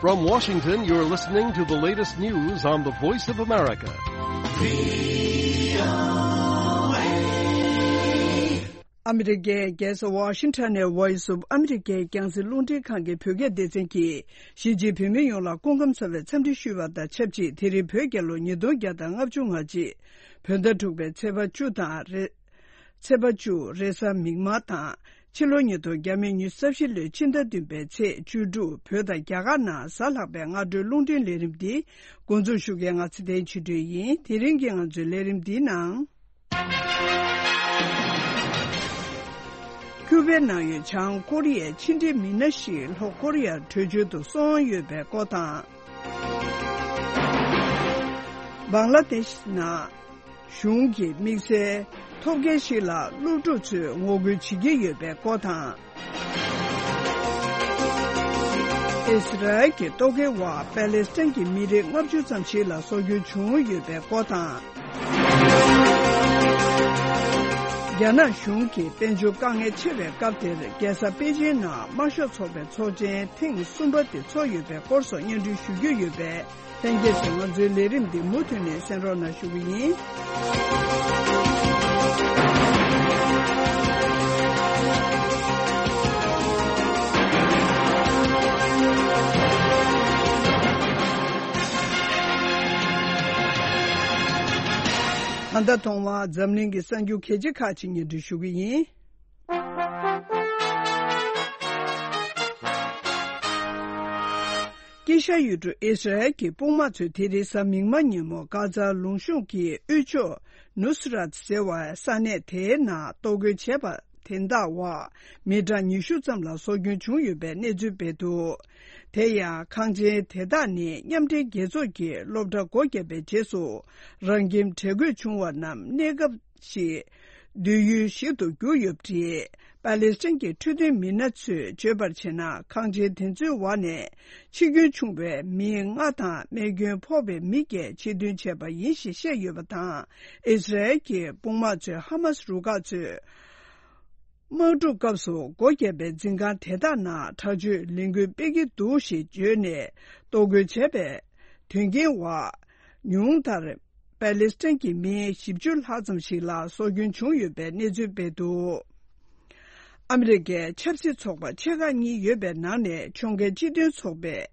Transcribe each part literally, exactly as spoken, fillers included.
From Washington, you're listening to the latest news on the Voice of America. ཨ་མི་རི་ཀའི་རྒྱལ་ས་ཝ་ཤིང་ཊོན་ནས་Voice of America རྒྱང་སྲིང་རླུང་འཕྲིན་ཁང་གི་བོད་སྐད་སྡེ་ཚན་གྱིས་གཞིས་བྱེས་བོད་མི་ཡོངས་ལ་སྐུ་ཁམས་བཟང་བའི་འཚམས་འདྲི་ཞུས་པ་དང་ཆབས་ཅིག་དེ་རིང་བོད་རྒྱལ་ལོ་ཉིས་སྟོང་བརྒྱ་དང་ལྔ་བཅུ་ང་གཅིག་བོད་ཟླ་དྲུག་པའི་ཚེས་པ་བཅུ་དང་རེ། ཚེས་པ་བཅུ་རེས་གཟའ་མིག་དམར་དང་། ཕྱི་ལོ་ཉིས་སྟོང་ཉི་ཤུ་རྩ་བཞི་ལོའི་ཕྱི་ཟླ་བདུན་པའི་ཚེས་བཅུ་དྲུག་བོད་དང་རྒྱ་གར་ནང་གཟའ་ལྷག་པའི་སྔ་དྲོའི་རླུང་འཕྲིན་ལས་རིམ་འདི་འགོ་འཛུགས་ཞུ་མཁན་ང་ཚེ་བརྟན་ཆོས་སྒྲོན་ཡིན། དེ་རིང་གི་ང་ཚོའི་ལས་རིམ་འདིའི་ནང་། ཁྱུ་པའི་ནང་ཡོད་བྱང་ཀོ་རི་ཡའི་ཕྱི་འབྲེལ་མི་སྣ་ཞིག་ལྷོ་ཀོ་རི་ཡར་བྲོས་བྱོལ་དུ་སོང་ཡོད་པའི་སྐོར་དང་། བང་ལ་དེཤ་ནང་གཞུང་གི་དམིགས་བསལ་ཐོབ་མཁན་ཞིག་ལ་སློབ་ཕྲུག་ཚོས་ངོ་རྒོལ་བྱེད་ཀྱི་ཡོད་པའི་སྐོར་དང་། ཨིས་ར་ཨེལ་གྱི་ལྟོ་གོས་འོག་པ་ལེ་སི་ཐན་གྱི་མི་རིགས་ལྔ་བཅུ་ཙམ་ཞིག་ལ་སྲོག་སྐྱོན་བྱུང་ཡོད་པའི་སྐོར་དང་། རྒྱ་ནག་གཞུང་གིས་དཔལ་འབྱོར་དཀའ་ངལ་ཆེ་བའི་སྐབས་དེར་རྒྱལ་ས་པེ་ཅིན་ནང་དམར་ཤོག་ཚོགས་པའི་ཚོགས་ཆེན་ཐེངས་གསུམ་པ་དེ་ཚོགས་ཡོད་པའི་སྐོར་སོགས་སྙན་སྒྲོན་ཞུ་རྒྱུ་ཡོད་པས། ལྷན་རྒྱས་ཚོས་ང་ཚོའི་ལས་རིམ་འདི་མུ་མཐུད་ནས་གསན་རོགས་གནང་ཞུ་གི་ཡིན། ད་ལྟ་ཐོག་མར་འཛམ་གླིང་གི་གསར་འགྱུར་གལ་ཆེ་ཁག་ཅིག་སྙན་སྒྲོན་ཞུ་གི་ཡིན། དཀྱིལ་ཤར་ཡུལ་གྲུ་ཨིས་ར་ཨེལ་གྱི་དཔུང་དམག་ཚོས་དེ་རིང་གཟའ་མིག་དམར་ཉིན་མོ་གྷ་ཛ་ལུང་གཤོང་གི་དབུས་ཕྱོགས་ནུ་སི་རཱད་ཟེར་བའི་ས་གནས་དེའི་ནང་གཏོར་རྒོལ་བྱས་པ་དེ་དག་འོག་མི་གྲངས་ཉི་ཤུ་ཙམ་ལ་སྲོག་སྐྱོན་བྱུང་ཡོད་པའི་གནས་ཚུལ་སྤེལ་འདུག་དེ་ཡང་ཁང་ཆེན་དེ་དག་ནི་མཉམ་འབྲེལ་རྒྱལ་ཚོགས་ཀྱི་སློབ་གྲྭ་སྒོ་བརྒྱབ་པའི་རྗེས་སུ་རང་ཁྱིམ་བྲལ་དགོས་བྱུང་བ་རྣམས་གནས་སྐབས་ཤིག་སྡོད་ཡུལ་ཞིག་ཏུ་གྱུར་ཡོད་པ་རེད། པ་ལེ་སི་ཐན་གྱི་འཕྲོད་བསྟེན་མི་སྣ་ཚོས་བརྗོད་པར་བྱས་ན། ཁང་ཆེན་དེ་ཚོའི་འོག་ནས་འཆི་སྐྱོན་བྱུང་བའི་མི་ལྔ་དང་རྨས་སྐྱོན་ཕོག་པའི་མི་བརྒྱད་ཕྱིར་འདོན་བྱས་པ་ཡིན་ཞེས་བཤད་ཡོད་པ་དང་། ཨིས་ར་ཨེལ་གྱི་དཔུང་དམག་ཚོས་ཧ་མ་སི་རུ་ཁག་ཚོས་དམག་འཁྲུག་སྐབས་སུ་སྒོ་བརྒྱབ་པའི་འཛིན་ཁང་དེ་དག་ནང་དྲག་སྤྱོད་ལས་འགུལ་སྤེལ་གྱི་འདུག་ཞེས་བརྗོད་ནས་གཏོར་རྒོལ་བྱས་པའི་དོན་རྐྱེན་འོག་ཉུང་མཐར། པ་ལེ་སི་ཐན་གྱི་མི་བཞི་བཅུ་ལྷག་ཙམ་ཞིག་ལ་སྲོག་སྐྱོན་བྱུང་ཡོད་པའི་གནས་ཚུལ་སྤེལ་འདུག་ཨ་མི་རི་ཀའི་ཆབ་སྲིད་ཚོགས་པ་ཆེ་ཁག་གཉིས་ཡོད་པའི་ནང་ནས་ཕྱོགས་འགལ་སྤྱི་མཐུན་ཚོགས་པས་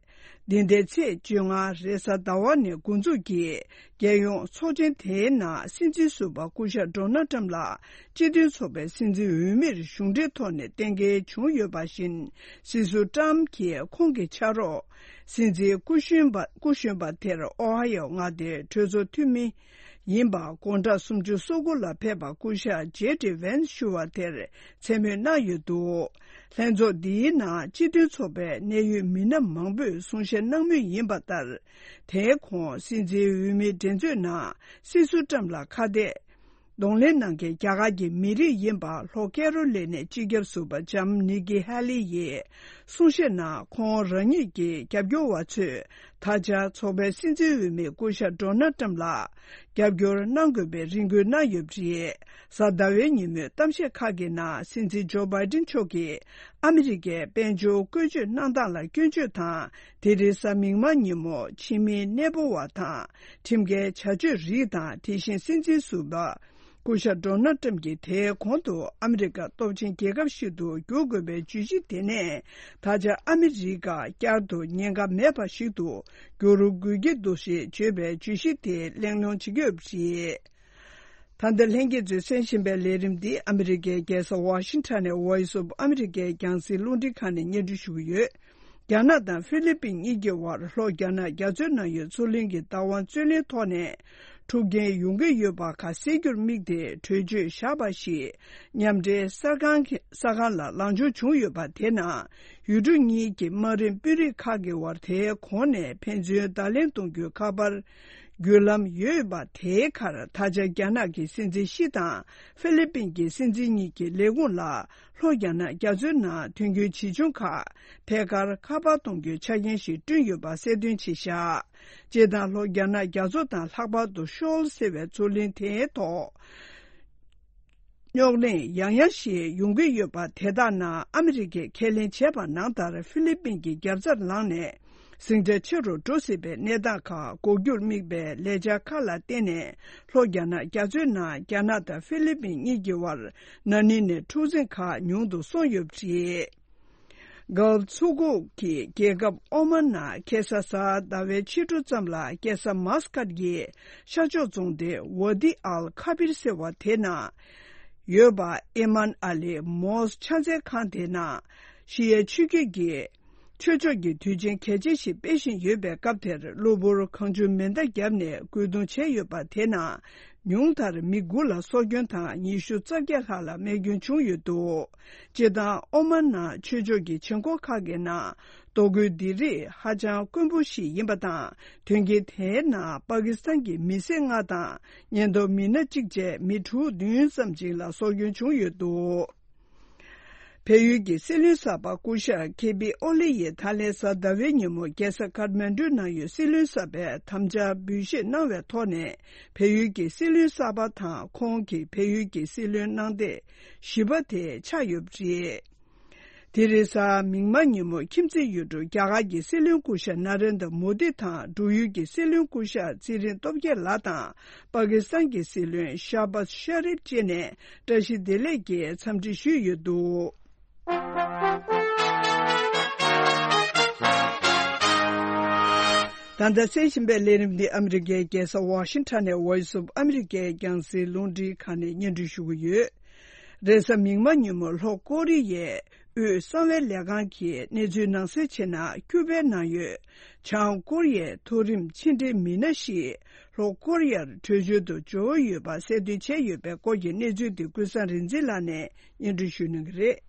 འདི་ཟླའི་ཚེས་བཅོ་ལྔ་རེས་གཟའ་ཟླ་བ་ནས་འགོ་འཛུགས་ཀྱིས་རྒྱལ་ཡོངས་ཚོགས་ཆེན་དེའི་ནང་སྲིད་འཛིན་ཟུར་པ་སྐུ་ཞབས་ཌོ་ནལ་ཏྲམ་ལ་སྤྱི་མཐུན་ཚོགས་པའི་སྲིད་འཛིན་འོས་མིར་གཞུང་འབྲེལ་ཐོག་ནས་གཏན་འཁེལ་བྱུང་ཡོད་པ་བཞིན། སྲིད་ཟུར་ཏྲམ་གྱིས་ཁོང་གི་ཕྱག་རོགས་སྲིད་འཛིན་སྐུ་གཞོན་པ་སྐུ་གཞོན་པ་དེར་ཨོ་ཧ་ཡོ་མངའ་སྡེའི་གྲོས་ཚོགས་འཐུས་མི་ཡིན་པ་དགུང་གྲངས་སུམ་ཅུ་སོ་དགུ་ལ་ཕེབས་པ་སྐུ་ཞབས་ཇེ་ཌི་ཝན་ཞུ་བ་དེར་མཚན་སྨོད་གནང་ཡོད་འདུག་ལྷན་ཚོགས་འདིའི་ནང་སྤྱི་མཐུན་ཚོགས་པའི་གནད་ཡོད་མི་སྣ་མང་པོས་གསུང་བཤད་གནང་མུས་ཡིན་པ་ལྟར། དེའི་གོང་སྲིད་འཛིན་འོས་མིའི་འགྲན་རྩོད་ནང་སྲིད་ཟུར་ཏྲམ་ལ་ཁ་གཏད། གདོང་ལེན་གནང་མཁན་རྒྱ་གར་གྱི་མི་རིགས་ཡིན་པ་ལྷོ་ཀེ་རོ་ལི་ནའི་སྤྱི་ཁྱབ་ཟུར་པ་ལྕམ་ནི་ཀི་ཧེ་ལི་ཡིས་གསུང་བཤད་ནང་ཁོང་རང་ཉིད་ཀྱི་རྒྱབ་སྐྱོར་བ་ཚོས་ད་ཆ་ཚོགས་པའི་སྲིད་འཛིན་འོས་མི་སྐུ་ཞབས་ཌོ་ནལ་ཏྲམ་ལ་རྒྱབ་སྐྱོར་གནང་དགོས་པའི་རེ་སྐུལ་གནང་ཡོད་པ་རེད། གཟའ་ཟླ་བའི་ཉིན་མོའི་གཏམ་བཤད་ཁག་གི་ནང་སྲིད་འཛིན་ཇོ་བྷའི་ཌེན་མཆོག་གིས་ཨ་མི་རི་ཀའི་དཔལ་འབྱོར་བཀོལ་སྤྱོད་གནང་སྟངས་ལ་སྐྱོན་བརྗོད་དང་། དེ་རིང་གཟའ་མིག་དམར་ཉིན་མོ་ཕྱི་མིའི་གནས་སྤོ་བ་དང་ཁྲིམས་འགལ་བྱ་སྤྱོད་རིགས་དང་། དེ་བཞིན་སྲིད་འཛིན་ཟུར་པ་སྐུ་ཞབས་ཌོ་ནལ་ཏྲམ་གྱིས་དེའི་གོང་དུ་ཨ་མི་རི་ཀ་སྟོབས་ཆེན་རྒྱལ་ཁབ་ཞིག་ཏུ་འགྱུར་དགོས་པའི་བརྗོད་གཞི་དེ་ནས་ད་ཆ་ཨ་མི་རི་ཀ་བསྐྱར་དུ་ཉེན་ཁ་མེད་པ་ཞིག་ཏུ་འགྱུར་དགོས་ཀྱི་འདུག་ཞེས་བརྗོད་པའི་བརྗོད་གཞི་དེ་གླེང་སློང་བྱེད་ཀྱི་ཡོད་པ་རེད། ད་ལྟ་ལྷན་རྒྱས་ཚོས་གསན་བཞིན་པའི་ལས་རིམ་འདི་ཨ་མི་རི་ཀའི་རྒྱལ་ས་ཝ་ཤིང་ཊོན་ནས་Voice of America རྒྱང་སྲིང་རླུང་འཕྲིན་ཁང་ནས་སྙན་སྒྲོན་ཞུ་གི་ཡོད། རྒྱ་ནག་དང་ཧྥི་ལི་པིན་གཉིས་ཀྱི་དབར་ལྷོ་རྒྱ་ནག་རྒྱ་མཚོའི་ནང་ཡོད་མཚོ་གླིང་གི་བདག་དབང་རྩོད་གླེང་ཐོག་ནས་འཁྲུག་རྐྱེན་ཡོང་གི་ཡོད་པ་ཁ་གསལ་རྒྱུར་དམིགས་ཏེ་གྲོས་ཆོད་བཞག་པ་ཞིག་མཉམ་འབྲེལ་གསར་ཁང་གི་གསར་ཁང་ལ་ལངས་ཕྱོགས་བྱུང་ཡོད་པ་དེ་ནང་ཡུལ་གྲུ་གཉིས་ཀྱི་དམག་རིམ་དཔོན་རིགས་ཁག་གི་དབར་དེའི་གོང་ནས་ཕན་ཚུན་བརྡ་ལན་གཏོང་རྒྱུའི་ཁ་པར་བརྒྱུད་ལམ་ཡོད་པ་དེའི་ཁར། ད་ཆ་རྒྱ་ནག་གི་སྲིད་འཛིན་ཞི་དང་ཧྥི་ལི་པིན་གྱི་སྲིད་འཛིན་གཉིས་ཀྱི་ལས་ཁུངས་ལ་ལྷོ་རྒྱ་ནག་རྒྱ་མཚོའི་ནང་དོན་རྐྱེན་ཇི་བྱུང་ཁག་ཐད་ཀར་ཁ་པར་གཏོང་རྒྱུའི་ཆ་རྐྱེན་ཞིག་བསྐྲུན་ཡོད་པ་གསལ་སྟོན་བྱས་བཞག་སྤྱིར་བཏང་ལྷོ་རྒྱ་ནག་རྒྱ་མཚོ་དང་ལྷག་པར་དུ་ཤོལ་ཟེར་བའི་མཚོ་གླིང་དེའི་ཐོག་རྙོག་གླེང་ཡང་ཡང་ཞིག་ཡོང་གི་ཡོད་པ་དེ་དག་ནང་ཨ་མི་རི་ཀས་ཁས་ལེན་བྱས་པ་ནང་ལྟར་ཧྥི་ལི་པིན་གྱི་རྒྱབ་རྩར་ལངས་ནས་ ཟིང་ཆ་ཆེ་རུ་འགྲོ་སྲིད་པའི་གནས་སྟངས་ཁག་འགོག་རྒྱུར་དམིགས་པའི་ལས་འཆར་ཁག་ལ་བརྟེན་ནས། ལྷོ་རྒྱ་ནག་རྒྱ་མཚོའི་ནང་རྒྱ་ནག་དང་ཧྥི་ལི་པིན་གཉིས་ཀྱི་དབར་ན་ནིང་ནས་འཁྲུག་འཛིང་ཁག་ཉུང་དུ་སོང་ཡོད་པ་རེད། Gulf མཚོ་ཁུག་གི་རྒྱལ་ཁབ་ཨོ་མན་ནང་ཁ་སང་གཟའ་ཟླ་བའི་ཕྱི་དྲོ་ཙམ་ལ། རྒྱལ་ས་མཱ་སི་ཀཊ་ཀྱི་ཤར་ཕྱོགས་རྫོང་སྡེ་ཝ་ཏི་ཨལ་ཁ་བིར་ཟེར་བ་དེ་ནང་ཡོད་པ་ཨེ་མན་ཨ་ལི་མོས་ཕྱག་འཚལ་ཁང་དེ་ནང་ཤི་ཡའི་ཆོས་བརྒྱུད་ཀྱི་ཆོས་ཕྱོགས་ཀྱི་དུས་ཆེན་གལ་ཆེན་ཞིག་སྤེལ་བཞིན་ཡོད་པའི་སྐབས་དེར། གློ་བུར་གང་བྱུང་མེ་མདའ་བརྒྱབ་ནས་རྒོལ་རྡུང་བྱས་ཡོད་པ་དེ་ནང་ཉུང་མཐར་མི་དགུ་ལ་སྲོག་སྐྱོན་དང་ཉི་ཤུ་རྩ་བརྒྱད་ལྷག་ལ་རྨས་སྐྱོན་བྱུང་ཡོད་འདུག་སྤྱིར་བཏང་ཨོ་མན་ནང་ཆོས་ཕྱོགས་ཀྱི་བྱེད་སྒོ་ཁག་གི་ནང་རྡོ་རྒོལ་འདི་རིགས་ཧ་ཅང་དཀོན་པོ་ཞིག་ཡིན་པ་དང་། དོན་རྐྱེན་དེའི་ནང་པ་ཀི་སི་ཐན་གྱི་མི་སེར་ལྔ་དང་། ཉེན་རྟོག་མི་སྣ་གཅིག་བཅས་མི་དྲུག་བདུན་ཙམ་ཅིག་ལ་སྲོག་སྐྱོན་བྱུང་ཡོད་འདུག་བལ་ཡུལ་གྱི་སྲིད་བློན་གསར་པ་སྐུ་ཞབས་ཁེ་པི་ཨོ་ལི་ཡིས་ད་ལན་གཟའ་ཟླ་བའི་ཉིན་མོ་རྒྱལ་ས་ཁཱཐ་མན་ཌུ་ནང་ཡོད་སྲིད་བློན་གསར་པའི་དམ་བཅའ་འབུལ་བཞེས་གནང་བའི་ཐོག་ནས། བལ་ཡུལ་གྱི་སྲིད་བློན་གསར་པ་དང་ཁོང་གི་བལ་ཡུལ་གྱི་སྲིད་བློན་གནང་སྟེགས་བཞི་པ་དེ་ཆགས་ཡོད་པ་རེད། དེ་རིང་གཟའ་མིག་དམར་ཉིན་མོ་ཁྱིམ་མཚེས་ཡུལ་གྲུ་རྒྱ་གར་གྱི་སྲིད་བློན་སྐུ་ཞབས་ན་རེན་དྲ་མོ་དི་དང་འབྲུག་ཡུལ་གྱི་སྲིད་བློན་སྐུ་ཞབས་ཚེ་རིང་སྟོབས་རྒྱལ་ལགས་དང་། པ་ཀི་སི་ཐན་གྱི་སྲིད་བློན་ཤ་བཱ་ཤ་རིབ་བཅས་ནས་བཀྲ་ཤིས་བདེ་ལེགས་ཀྱི་འཚམས་འདྲི་ཞུས་ཡོད་འདུག་ད་ལྟ་གསན་བཞིན་པའི་ལས་རིམ་འདི་ཨ་མི་རི་ཀའི་རྒྱལ་ས་ཝ་ཤིང་ཊོན་ནས་Voice of America་རྒྱང་སྲིང་རླུང་འཕྲིན་ཁང་ནས་སྙན་སྒྲོན་ཞུ་གི་ཡོད། རེས་གཟའ་མིག་དམར་ཉིན་མོ་ལྷོ་ཀོ་རི་ཡའི་དབུས་གསང་བའི་ལས་ཁང་གིས་གནས་ཚུལ་ནང་གསལ་བྱས་ན། ཁྱུ་པའི་ནང་ཡོད་བྱང་ཀོ་རི་ཡའི་མཐོ་རིམ་ཕྱི་འབྲེལ་མི་སྣ་ཞིག་ལྷོ་ཀོ་རི་ཡར་བྲོས་བྱོལ་དུ་འབྱོར་ཡོད་པ་གསལ་སྟོན་བྱས་ཡོད་པའི་སྐོར་གྱི་གནས་ཚུལ་དེ་ཀུན་བཟང་རིག་འཛིན་ལགས་ནས་སྙན་སྒྲོན་ཞུ་གནང་གི་རེད།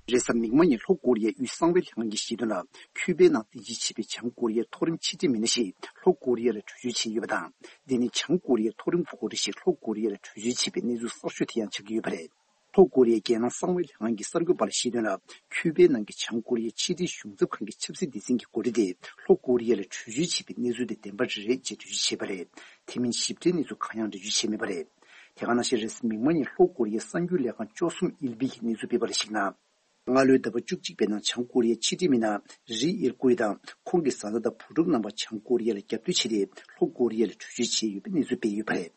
རེས་གཟའ་མིག་དམར་ཉིན་ལྷོ་ཀོ་རི་ཡའི་དབུས་གསང་བའི་ལྷན་ཁང་གིས་བཤད་དོན་ལ། ཁྱུ་པའི་ནང་རྟེན་གཞི་བྱས་པའི་བྱང་ཀོ་རི་ཡའི་མཐོ་རིམ་ཕྱི་འབྲེལ་མི་སྣ་ཞིག་ལྷོ་ཀོ་རི་ཡ་ལ་བྲོས་བྱོལ་བྱས་ཡོད་པ་དང་། འདི་ནི་བྱང་ཀོ་རི་ཡའི་མཐོ་རིམ་འགོ་ཁྲིད་ཞིག་ལྷོ་ཀོ་རི་ཡ་ལ་བྲོས་བྱོལ་བྱས་པའི་གནས་ཚུལ་གསར་ཤོས་དེ་ཡང་ཆགས་ཀྱི་ཡོད་པ་རེད། ལྷོ་ཀོ་རི་ཡའི་རྒྱལ་ནང་གསང་བའི་ལྷན་ཁང་གི་གསར་འགོད་པ་ལ་བཤད་དོན་ལ། ཁྱུ་པའི་ནང་གི་བྱང་ཀོ་རི་ཡའི་ཕྱི་འབྲེལ་གཞུང་ཚབ་ཁང་གི་ཆབ་སྲིད་སྡེ་ཚན་གྱི་འགོ་ཁྲིད་དེ་ལྷོ་ཀོ་རི་ཡ་ལ་བྲོས་བྱོལ་བྱས་པའི་གནས་ཚུལ་དེ་བདེན་པ་རེད་ཅེས་འགྲེལ་བརྗོད་བྱས་པ་རེད། དེ་མིན་ཞིབ་ཕྲའི་གནས་ཚུལ་གང་ཡང་འགྲེལ་བརྗོད་བྱས་མེད་པ་རེད། དེ་ག་ནང་བཞིན་རེས་གཟའ་མིག་དམར་ཉིན་ལྷོ་ཀོ་རི་ཡའི་གསར་འགྱུར་ལས་ཁང་ཅོ་སུང་ཨིལ་པི་ཡིས་གནས་ཚུལ་སྤེལ་བ་ལ་གཞིགས་ན། སྔ་ལོའི་ཟླ་བ་བཅུ་གཅིག་པའི་ནང་བྱང་ཀོ་རི་ཡའི་ཕྱི་འབྲེལ་མི་སྣ་རི་ཨིར་ཀུའི་དང་ཁོང་གི་བཟའ་ཟླ་དང་བུ་ཕྲུག་རྣམ་པ་བྱང་ཀོ་རི་ཡ་ལ་རྒྱབ་གཏོད་བྱས་ཏེ་ལྷོ་ཀོ་རི་ཡ་ལ་བྲོས་བྱོལ་བྱས་ཡོད་པའི་གནས་ཚུལ་སྤེལ་ཡོད་པ་རེད།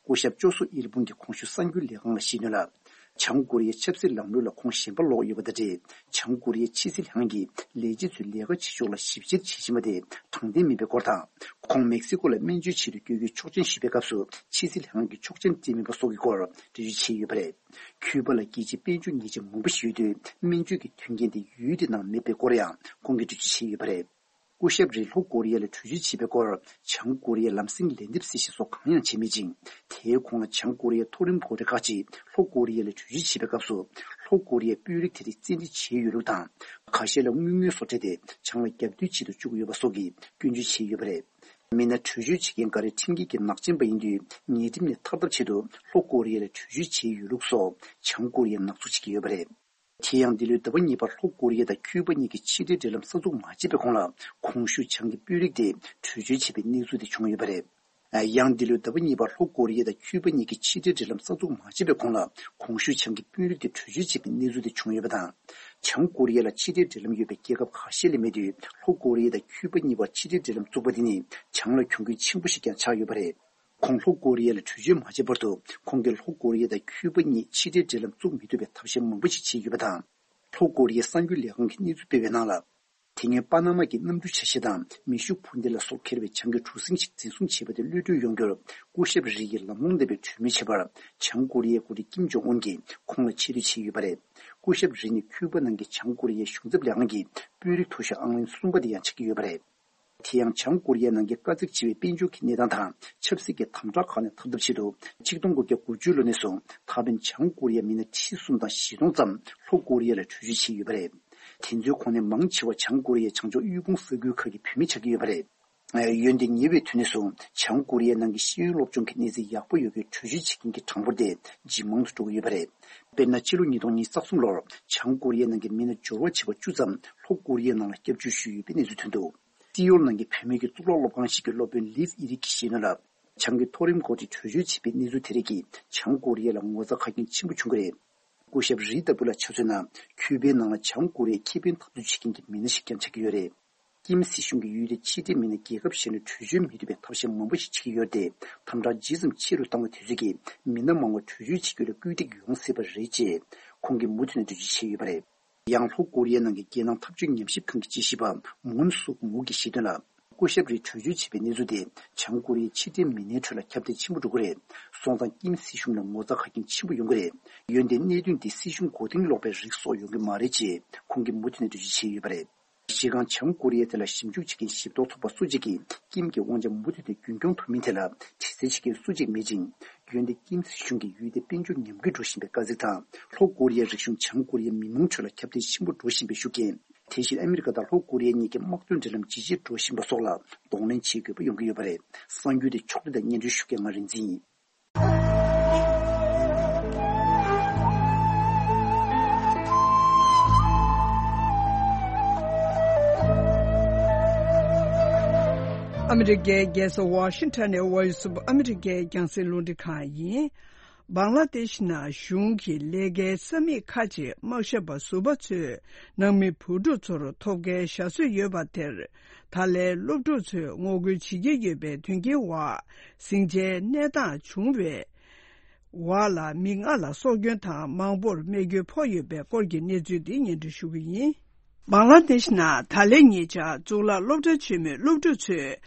སྐུ་ཞབས་ཅོ་སུ་ཨིར་པུང་གིས་གོང་ཞུས་གསར་འགྱུར་ལས་ཁང་ལ་བཤད་དོན་ལ། བྱང་ཀོ་རི་ཡའི་ཆབ་སྲིད་ལམ་ལུགས་ལ་ཁོང་ཞེན་པ་ལོག་ཡོད་པ་དང་འབྲེལ། བྱང་ཀོ་རི་ཡའི་ཕྱི་སྲིད་ལྷན་ཁང་གིས་ལས་བྱེད་ཚོའི་ལས་ཀ་བྱེད་ཕྱོགས་ལ་ཞིབ་བཤེར་བྱེད་བཞིན་པ་དེ་དྲང་བདེན་མིན་པའི་སྐོར་དང་། ཁོང་མེག་སི་ཀོ་ལ་སྨན་བཅོས་ཆེད་དུ་བསྐྱོད་རྒྱུའི་ཆོག་མཆན་ཞུས་པའི་སྐབས་སུ། ཕྱི་སྲིད་ལྷན་ཁང་གིས་ཆོག་མཆན་སྤྲད་མེད་པ་སོགས་ཀྱི་སྐོར་འགྲེལ་བརྗོད་བྱས་ཡོད་པ་རེད། ཁྱུ་པ་ལ་རྒྱལ་སྤྱིའི་དཔལ་འབྱོར་ཉེས་ཆད་མང་པོ་ཞིག་ཡོད་དུས། སྨན་བཅོས་ཀྱི་མཐུན་རྐྱེན་དེ་ཡུལ་དེའི་ནང་མེད་པའི་སྐོར་ཡང་ཁོང་གིས་འགྲེལ་བརྗོད་བྱས་ཡོད་པ་རེད། སྐུ་ཞབས་རིས་ལྷོ་ཀོ་རི་ཡ་ལ་བྲོས་བྱོལ་བྱས་པའི་སྐོར། བྱང་ཀོ་རི་ཡས་ལམ་སེང་ལན་འདེབས་གསལ་བཤད་སོགས་གང་ཡང་བྱས་མེད་ཅིང་། དེའི་གོང་ལ་བྱང་ཀོ་རི་ཡའི་མཐོ་རིམ་འགོ་ཁྲིད་ཁག་ཅིག་ལྷོ་ཀོ་རི་ཡ་ལ་བྲོས་བྱོལ་བྱས་པའི་སྐབས་སུ། ལྷོ་ཀོ་རི་ཡས་དཔོན་རིགས་དེ་རིགས་བཙན་ཁྲིད་བྱས་ཡོད་ལུགས་དང་། ཁ་ཤས་ལ་དངུལ་དངོས་སོགས་སྤྲད་དེ་བྱང་ལ་རྒྱབ་གཏོད་བྱེད་དུ་བཅུག་ཡོད་པ་སོགས་ཀྱི་སྐྱོན་བརྗོད་བྱས་ཡོད་པ་རེད། མི་སྣ་བྲོས་བྱོལ་བྱེད་མཁན་འགའ་རེ་ཁྲིམས་འགལ་གྱི་ནག་ཅན་པ་ཡིན་དུས། ཉེས་ཁྲིམས་ནས་ཐར་ཐབས་ཆེད་དུ་ལྷོ་ཀོ་རི་ཡ་ལ་བྲོས་བྱོལ་བྱས་ཡོད་ལུགས་སོགས་བྱང་ཀོ་རི་ཡས་ནག་འཛུགས་བྱེད་ཀྱི་ཡོད་པ་རེད། དེ་ཡང་འདི་ལོའི་ཟླ་བ་གཉིས་པར་ལྷོ་ཀོ་རི་ཡ་དང་ཁྱུ་པ་གཉིས་ཀྱི་ཕྱི་འབྲེལ་འབྲེལ་ལམ་གསར་འཛུགས་མ་བྱས་པའི་གོང་ལ། གོང་ཞུས་བྱང་གི་དཔོན་རིགས་དེ་བྲོས་བྱོལ་བྱས་པའི་གནས་ཚུལ་དེ་བྱུང་ཡོད་པ་རེད། ཡང་འདི་ལོའི་ཟླ་བ་གཉིས་པར་ལྷོ་ཀོ་རི་ཡ་དང་ཁྱུ་པ་གཉིས་ཀྱི་ཕྱི་འབྲེལ་འབྲེལ་ལམ་གསར་འཛུགས་མ་བྱས་པའི་གོང་ལ། གོང་ཞུས་བྱང་གི་དཔོན་རིགས་དེ་བྲོས་བྱོལ་བྱས་པའི་གནས་ཚུལ་དེ་བྱུང་ཡོད་པ་དང་། བྱང་ཀོ་རི་ཡ་ལ་ཕྱི་འབྲེལ་འབྲེལ་ལམ་ཡོད་པའི་རྒྱལ་ཁབ་ཁ་ཤས་ལས་མེད་དུས། ལྷོ་ཀོ་རི་ཡ་དང་ཁྱུ་པ་གཉིས་བར་ཕྱི་འབྲེལ་འབྲེལ་ལམ་བཙུགས་པ་དེ་ནི་བྱང་ལ་གྱོང་གུན་ཆེན་པོ་ཞིག་ཀྱང་ཆགས་ཡོད་པ་རེད། ཁོང་ལྷོ་ཀོ་རི་ཡ་ལ་བྲོས་བྱོལ་མ་བྱས་བར་དུ། ཁོང་གིས་ལྷོ་ཀོ་རི་ཡ་དང་ཁྱུ་པ་གཉིས་ཕྱི་འབྲེལ་འབྲེལ་ལམ་བཙུགས་མི་ཐུབ་པའི་ཐབས་ཤེས་མང་པོ་ཞིག་བྱས་ཡོད་པ་དང་། ལྷོ་ཀོ་རི་ཡའི་གསར་འགྱུར་ལས་ཁང་གིས་གནས་ཚུལ་སྤེལ་བའི་ནང་ལ། དེ་སྔོན་པ་ན་མ་གི་གནམ་གྲུ་ཆ་ཤས་དང་མེ་ཤུགས་འཕུར་མདེལ་ལ་སོགས་འཁྱེར་བའི་བྱང་གི་གྲུ་གཟིངས་ཤིག་འཛིན་བཟུང་བྱས་པ་དེ་གློད་གྲོལ་ཡོང་རྒྱུར། སྐུ་ཞབས་རི་ཡིས་ལམ་ལྷོང་ལྡན་པའི་གྲོས་མོལ་བྱས་པར། བྱང་ཀོ་རི་ཡའི་འགོ་ཁྲིད་ཀིམ་ཇོང་ཨུན་གྱིས་ཁོང་ལ་ཆེ་བསྟོད་བྱས་ཡོད་པ་རེད། སྐུ་ཞབས་རི་ནི་ཁྱུ་པ་ནང་གི་བྱང་ཀོ་རི་ཡའི་གཞུང་ཚབ་ལས་ཁང་གི་དཔོན་རིགས་མཐོ་ཤོས་ཨང་ལོན་གསུམ་པ་དེ་ཡང་ཆགས་ཀྱི་ཡོད་པ་རེད། དེ་ཡང་བྱང་ཀོ་རི་ཡ་ནང་གི་དཀའ་ཚེགས་ཆེ་བའི་དཔལ་འབྱོར་གྱི་གནས་སྟངས་དང་ཆབ་སྲིད་ཀྱི་དམ་དྲག་ཁག་ནས་ཐར་ཐབས་ཆེད་དུ། ཆིག་སྟོང་དགུ་བརྒྱ་དགུ་བཅུ་ལོ་ནས་བཟུང་ད་ཕན་བྱང་ཀོ་རི་ཡ་མི་སྣ་ཁྲི་གསུམ་དང་བཞི་སྟོང་ཙམ་ལྷོ་ཀོ་རི་ཡ་ལ་བྲོས་བྱོལ་བྱས་ཡོད་པ་རེད། དེ་ཚོའི་ཁོངས་ནས་མང་ཆེ་བ་བྱང་ཀོ་རི་ཡའི་བྱང་ཕྱོགས་དབུལ་ཕོངས་ས་ཁུལ་ཁག་གི་བུད་མེད་ཆགས་ཀྱི་ཡོད་པ་རེད། འོན་ཏེ་ཉེ་བའི་དུས་ནས་བཟུང་བྱང་ཀོ་རི་ཡའི་ནང་གི་ཤེས་ཡོན་སློབ་སྦྱོང་གི་གནས་ཚད་ཡག་པོ་ཡོད་པའི་བྲོས་བྱོལ་བྱེད་མཁན་གྱི་གྲངས་འབོར་དེ་ཇེ་མང་དུ་འགྲོ་གི་ཡོད་པ་རེད། དཔེར་ན། ཕྱི་ལོ་ཉིས་སྟོང་ཉི་ཤུ་རྩ་གསུམ་ལོར་བྱང་ཀོ་རི་ཡའི་ནང་གི་མི་སྣ་འབྱོར་བ་བྱེ་བ་བཅུ་ཙམ་ལྷོ་ཀོ་རི་ཡའི་ནང་ལ་སྐྱབས་བཅོལ་ཞུས་ཡོད་པའི་གནས་ཚུལ་ཐོན་འདུག་སི་ཡོལ་ནང་གི་བུད་མེད་ཀྱི་གཙུག་ལག་སློབ་ཁང་ཞིག་གི་སློབ་དཔོན་ལིབ་ཨི་རིག་གིས་བཤད་དོན་ལ། བྱང་གི་མཐོ་རིམ་འགོ་ཁྲིད་བྲོས་བྱོལ་བྱས་པའི་གནས་ཚུལ་དེ་རིགས་ཀྱིས་བྱང་ཀོ་རི་ཡ་ལ་ངོ་ཚ་ཁ་རྒྱུན་ཆེན་པོ་བྱུང་གི་རེད། སྐུ་ཞབས་རི་ལྟ་བུ་ལ་ཆ་མཚོན་ན། ཁྱུ་པའི་ནང་ལ་བྱང་ཀོ་རི་ཡའི་ཁེ་ཕན་འཐབ་རྩོད་བྱེད་མཁན་གྱི་མི་སྣ་ཞིག་ཀྱང་ཆགས་ཀྱི་ཡོད་རེད། ཀིམ་སྲིད་གཞུང་གིས་ཡུལ་དེའི་ཕྱི་འབྲེལ་མི་སྣ་རྒྱལ་ཁབ་གཞན་ལ་བྲོས་བྱོལ་མི་ཐུབ་པའི་ཐབས་ཤེས་མང་པོ་ཞིག་བྱེད་ཀྱི་ཡོད་དེ། དམ་དྲག་ཇི་ཙམ་ཆེ་རུ་བཏང་བ་དེ་ཚོ་གིས་མི་སྣ་མང་བོ་བྲོས་བྱོལ་བྱེད་རྒྱུ་ལ་སྐུལ་འདེད་ཡོང་སྲིད་པ་རེད་ཅེས་ཁོང་གིས་མུ་མཐུད་ནས་འགྲེལ་བརྗོད་བྱས་ཡོད་པ་རེད། ཡང་ལྷོ་ཀོ་རི་ཡའི་ནང་གི་རྒྱལ་ནང་འཐབ་ཇུས་ཉམས་ཞིབ་ཁང་གི་དཔྱད་ཞིབ་པ་མུན་སུག་མུག་གིས་བཤད་དོན་ལ། སྐུ་ཞབས་རེད་བྲོས་བྱོལ་བྱས་པའི་གནས་ཚུལ་དེ་བྱང་ཀོ་རི་ཡའི་ཕྱི་འབྲེལ་མི་སྣའི་ཁྲོད་ལ་ཁྱབ་གདལ་ཆེན་པོ་འགྲོ་གི་རེད། སོང་ཙང་ཀིམ་སྲིད་གཞུང་ལ་ངོ་ཚ་ཁ་རྐྱེན་ཆེན་པོ་ཡོང་གི་རེད། འོན་ཏེ་གནད་དོན་འདི་སྲིད་གཞུང་མགོ་རྟིང་སློག་པའི་རིགས་སོགས་ཡོང་གི་མ་རེད་ཅེས་ཁོང་གིས་མུ་མཐུད་ནས་འགྲེལ་བརྗོད་བྱས་ཡོད་པ་རེད། གཞི་རྐང་བྱང་ཀོ་རི་ཡའི་ཐད་ལ་ཞིབ་འཇུག་བྱེད་མཁན་ཞིབ་འཚོལ་ཚོགས་པ་སུ་གཅིག་གིས་ཀིམ་གྱི་དབང་ཆ་མུ་མཐུད་དེ་རྒྱུན་སྐྱོང་ཐུབ་མིན་ཐད་ལ་དྲི་རྩད་བྱེད་མཁན་སུ་གཅིག་མེད་ཅིང་། འོན་ཏེ་ཀིམ་སྲིད་གཞུང་གིས་ཡུལ་དེ་དཔལ་འབྱོར་ཉམས་རྒུད་འགྲོ་བཞིན་པའི་དཀའ་ཚེགས་དང་། ལྷོ་ཀོ་རི་ཡའི་རིག་གཞུང་བྱང་ཀོ་རི་ཡའི་མི་མང་ཁྲོད་ལ་ཁྱབ་གདལ་ཆེན་པོ་འགྲོ་བཞིན་པའི་ཤུགས་རྐྱེན། དེ་བཞིན་ཨ་མི་རི་ཀ་དང་ལྷོ་ཀོ་རི་ཡ་གཉིས་ཀྱི་དམག་དོན་འབྲེལ་ལམ་ཇེ་ཆེར་འགྲོ་བཞིན་པ་སོགས་ལ་གདོང་ལེན་བྱེད་དགོས་པ་ཡོང་གི་ཡོད་པ་རེད། གསར་འགྱུར་དེ་ཕྱོགས་བསྒྲིགས་དང་སྙན་སྒྲོན་ཞུ་མཁན་ང་རིག་འཛིན་ཡིན། ཨ་མི་རི་ཀའི་རྒྱལ་ས་ཝ་ཤིང་ཊོན་ནས་Voice of America རྒྱང་སྲིང་རླུང་འཕྲིན་ཁང་ཡིན། བང་ལ་དེཤ་ནང་གཞུང་གི་ལས་ཀའི་ས་མིག་ཁག་ཅིག་དམག་ཞབས་པ་ཟུར་པ་ཚོས་ནང་མི་བུ་ཕྲུག་ཚོར་ཐོབ་སྐལ་བཞག་སྲོལ་ཡོད་པ་དེར། ད་ལན་སློབ་ཕྲུག་ཚོས་ངོ་རྒོལ་བྱེད་ཀྱི་ཡོད་པའི་དོན་རྐྱེན་འོག་ཟིང་ཆའི་གནས་སྟངས་བྱུང་བའི་འོག་ལ་མི་ལྔ་ལ་སྲོག་སྐྱོན་དང་མང་པོར་རྨས་སྐྱོན་ཕོག་ཡོད་པའི་སྐོར་གྱི་གནས་ཚུལ་འདི་སྙན་སྒྲོན་ཞུ་གི་ཡིན། བང་ལ་དེཤ་ནང་ད་ལན་ཉེ་ཆར་གཙུག་ལག་སློབ་གྲྭ་ཆེན་མོའི་སློབ་ཕྲུག་ཚོས་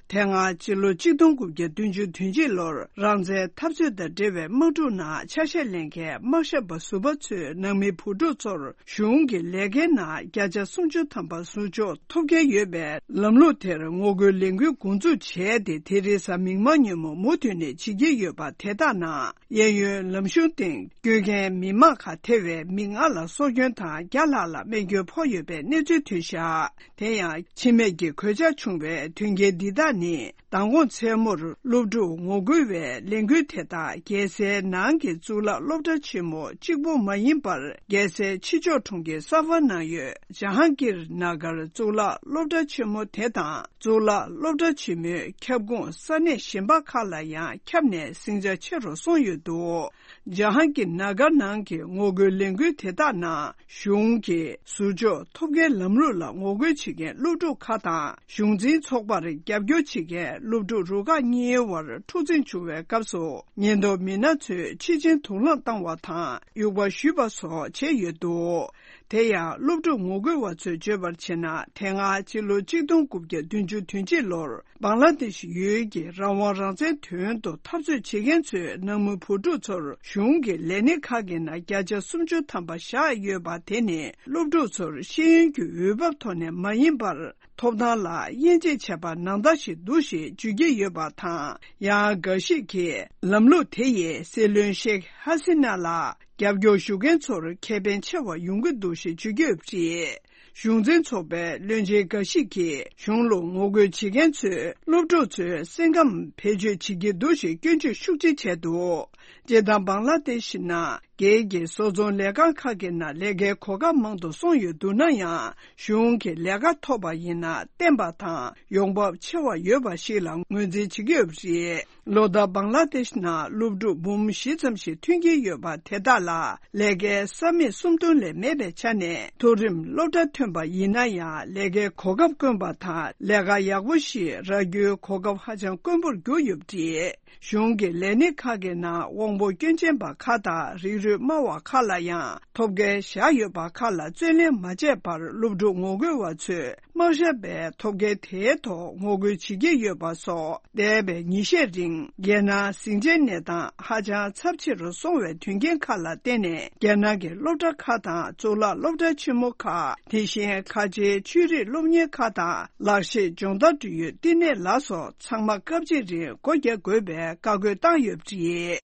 དེ་སྔ་ཕྱི་ལོ་ཆིག་སྟོང་དགུ་བརྒྱ་བདུན་ཅུ་དོན་གཅིག་ལོར་རང་བཙན་འཐབ་རྩོད་དང་འབྲེལ་བའི་དམག་འཁྲུག་ནང་ཆ་ཤས་ལེན་མཁན་དམག་ཞབས་པ་ཟུར་པ་ཚོས་ནང་མི་བུ་ཕྲུག་ཚོར་གཞུང་གི་ལས་ཀའི་ནང་བརྒྱ་ཆ་སུམ་ཅུ་ཐམ་པ་ཟུར་འཇོག་ཐོབ་སྐལ་ཡོད་པའི་ལམ་ལུགས་དེར་ངོ་རྒོལ་ལས་འགུལ་འགོ་འཛུགས་བྱས་ཏེ། དེ་རིང་གཟའ་མིག་དམར་ཉིན་མོ་མུ་མཐུད་ནས་བྱེད་ཀྱི་ཡོད་པ་དེ་དག་ནང་གཡས་གཡོན་ལམ་གཞུང་སྟེང་སྐྱོད་མཁན་མི་མང་ཁག་ཐེ་བའི་མི་ལྔ་ལ་སྲོག་སྐྱོན་དང་བརྒྱ་ལྷག་ལ་རྨས་སྐྱོན་ཕོག་ཡོད་པའི་གནས་ཚུལ་ཐོན་བཞག་དེ་ཡང་འཆི་རྨས་ཀྱི་གོད་ཆག་བྱུང་བའི་དོན་རྐྱེན་འདི་དག་ནི། མདང་དགོང་མཚན་མོར་སློབ་ཕྲུག་ངོ་རྒོལ་བའི་ལས་འགུལ་དེ་དག་རྒྱལ་སའི་ནང་གི་གཙུག་ལག་སློབ་གྲྭ་ཆེན་མོ་གཅིག་པུ་མ་ཡིན་པར། རྒྱལ་སའི་ཕྱི་ཕྱོགས་གྲོང་ཁྱེར་སཱ་ཧྥར་ནང་ཡོད་ཇ་ཧང་གིར་ན་གར་གཙུག་ལག་སློབ་གྲྭ་ཆེན་མོ་དེ་དང་། གཙུག་ལག་སློབ་གྲྭ་ཆེན་མོའི་ཁྱབ་ཁོངས་ས་གནས་གཞན་པ་ཁག་ལ་ཡང་ཁྱབ་ནས་ཟིང་ཆ་ཆེ་རུ་སོང་ཡོད་འདུག་ཇ་ཧང་གིར་ན་གར་ནང་གི་ངོ་རྒོལ་ལས་འགུལ་དེ་དག་ནང་གཞུང་གི་ཟུར་འཇོག་ཐོབ་མཁན་ལམ་ལུགས་ལ་ངོ་རྒོལ་བྱེད་མཁན་སློབ་ཕྲུག་ཁག་དང་གཞུང་འཛིན་ཚོགས་པར་རྒྱབ་སྐྱོར་བྱེད་མཁན་སློབ་ཕྲུག་རུ་ཁག་གཉིས་དབར་འཁྲུག་འཛིང་བྱུང་བའི་སྐབས་སུ། ཉེན་རྟོག་མི་སྣ་ཚོས་ཕྱི་ཆེན་དུག་རླངས་བཏང་བ་དང་དབྱུག་པ་གཞུས་པ་སོགས་བྱས་ཡོད་འདུག་དེ་ཡང་སློབ་ཕྲུག་ངོ་རྒོལ་བ་ཚོས་བརྗོད་པར་བྱས་ན། དེ་སྔ་ཕྱི་ལོ་ཆིག་སྟོང་དགུ་བརྒྱ་བདུན་ཅུ་དོན་གཅིག་ལོར་བང་ལ་དེཤ་ཡུལ་གྱི་རང་དབང་རང་བཙན་དོན་དུ་འཐབ་རྩོད་བྱེད་མཁན་ཚོས་ནང་མི་བུ་ཕྲུག་ཚོར་གཞུང་གི་ལས་སྣེ་ཁག་གི་ནང་བརྒྱ་ཆ་སུམ་ཅུ་ཐམ་པ་བཞག་ཡོད་པ་དེ་ནི་སློབ་ཕྲུག་ཚོར་ཤེས་ཡོན་གྱི་འོས་བབ་ཐོག་ནས་མ་ཡིན་པར། ཐོབ་ཐང་ལ་དབྱེ་འབྱེད་བྱས་པ་ནང་ལྟར་ཞིག་འདུག་ཞེས་བརྗོད་ཀྱི་ཡོད་པ་དང་། ཡང་འགའ་ཞིག་གིས་ལམ་ལུགས་དེ་ཡིས་སྲིད་བློན་ཤེག་ཧ་སི་ན་ལ་རྒྱབ་སྐྱོར་ཞུ་མཁན་ཚོར་ཁེ་ཕན་ཆེ་བ་ཡོང་གི་འདུག་ཞེས་བརྗོད་ཀྱི་ཡོད་པ་རེད། གཞུང་འཛིན་ཚོགས་པའི་བློན་ཆེན་འགའ་ཞིག་གིས་གཞུང་ལ་ངོ་རྒོལ་བྱེད་མཁན་ཚོས་སློབ་ཕྲུག་ཚོའི་སེམས་ཁམས་བེད་སྤྱོད་བྱེད་ཀྱི་འདུག་ཞེས་སྐྱོན་བརྗོད་ཤུགས་ཆེ་བྱས་འདུག་སྤྱིར་བཏང་བང་ལ་དེཤ་ནང་སྒེར་གྱི་བཟོ་ཚོང་ལས་ཁང་ཁག་གི་ནང་ལས་ཀའི་གོ་སྐབས་མང་དུ་སོང་ཡོད་འདུག་ན་ཡང་། གཞུང་གི་ལས་ཀ་ཐོབ་པ་ཡིན་ན་བརྟན་པ་དང་ཡོང་འབབ་ཆེ་བ་ཡོད་པ་ཞིག་ལ་ངོས་འཛིན་བྱེད་ཀྱི་ཡོད་པ་རེད། ལོ་ལྟར་བང་ལ་དེཤ་ནང་སློབ་ཕྲུག་འབུམ་བཞི་ཙམ་ཞིག་ཐོན་གྱི་ཡོད་པ་དེ་དག་ལ་ལས་ཀའི་ས་མིག་སུམ་སྟོང་ལས་མེད་པའི་ཆ་ནས། མཐོ་རིམ་སློབ་གྲྭ་ཐོན་པ་ཡིན་ན་ཡང་ལས་ཀའི་གོ་སྐབས་དཀོན་པ་དང་ལས་ཀ་ཡག་པོ་ཞིག་རག་རྒྱུའི་གོ་སྐབས་ཧ་ཅང་དཀོན་པོར་གྱུར་ཡོད་པ་རེད། གཞུང་གི་ལས་སྣེ་ཁག་གི་ནང་དབང་པོ་སྐྱོན་ཅན་པ་ཁག་དང་རིགས་རུས་དམའ་བ་ཁག་ལ་ཡང་ཐོབ་སྐལ་བཞག་ཡོད་པ་ཁག་ལ་བརྩོན་ལེན་མ་བྱས་པར། སློབ་ཕྲུག་ངོ་རྒོལ་བ་ཚོས་དམག་ཞབས་པས་ཐོབ་སྐལ་དེའི་ཐོག་ངོ་རྒོལ་བྱེད་ཀྱི་ཡོད་པ་སོགས། འདས་པའི་ཉིན་ཤས་རིང་རྒྱལ་ནང་ཟིང་ཆའི་གནས་སྟངས་ཧ་ཅང་ཚབས་ཆེ་རུ་སོང་བའི་དོན་རྐྱེན་ཁག་ལ་བརྟེན་ནས། རྒྱལ་ནང་གི་སློབ་གྲྭ་ཁག་དང་གཙུག་ལག་སློབ་གྲྭ་ཆེན་མོ་ཁག་དེ་བཞིན་ཁ་ཆེའི་ཆོས་རིག་སློབ་གཉེར་ཁག་དང་ལག་ཤེས་སྦྱོང་བརྡར་འབྲེལ་ཡོད་བསྟི་གནས་ལ་སོགས་ཚང་མ་སྐབས་གཅིག་རིང་སྒོ་རྒྱག་དགོས་པའི་བཀའ་བཀོད་བཏང་ཡོད་པ་རེད།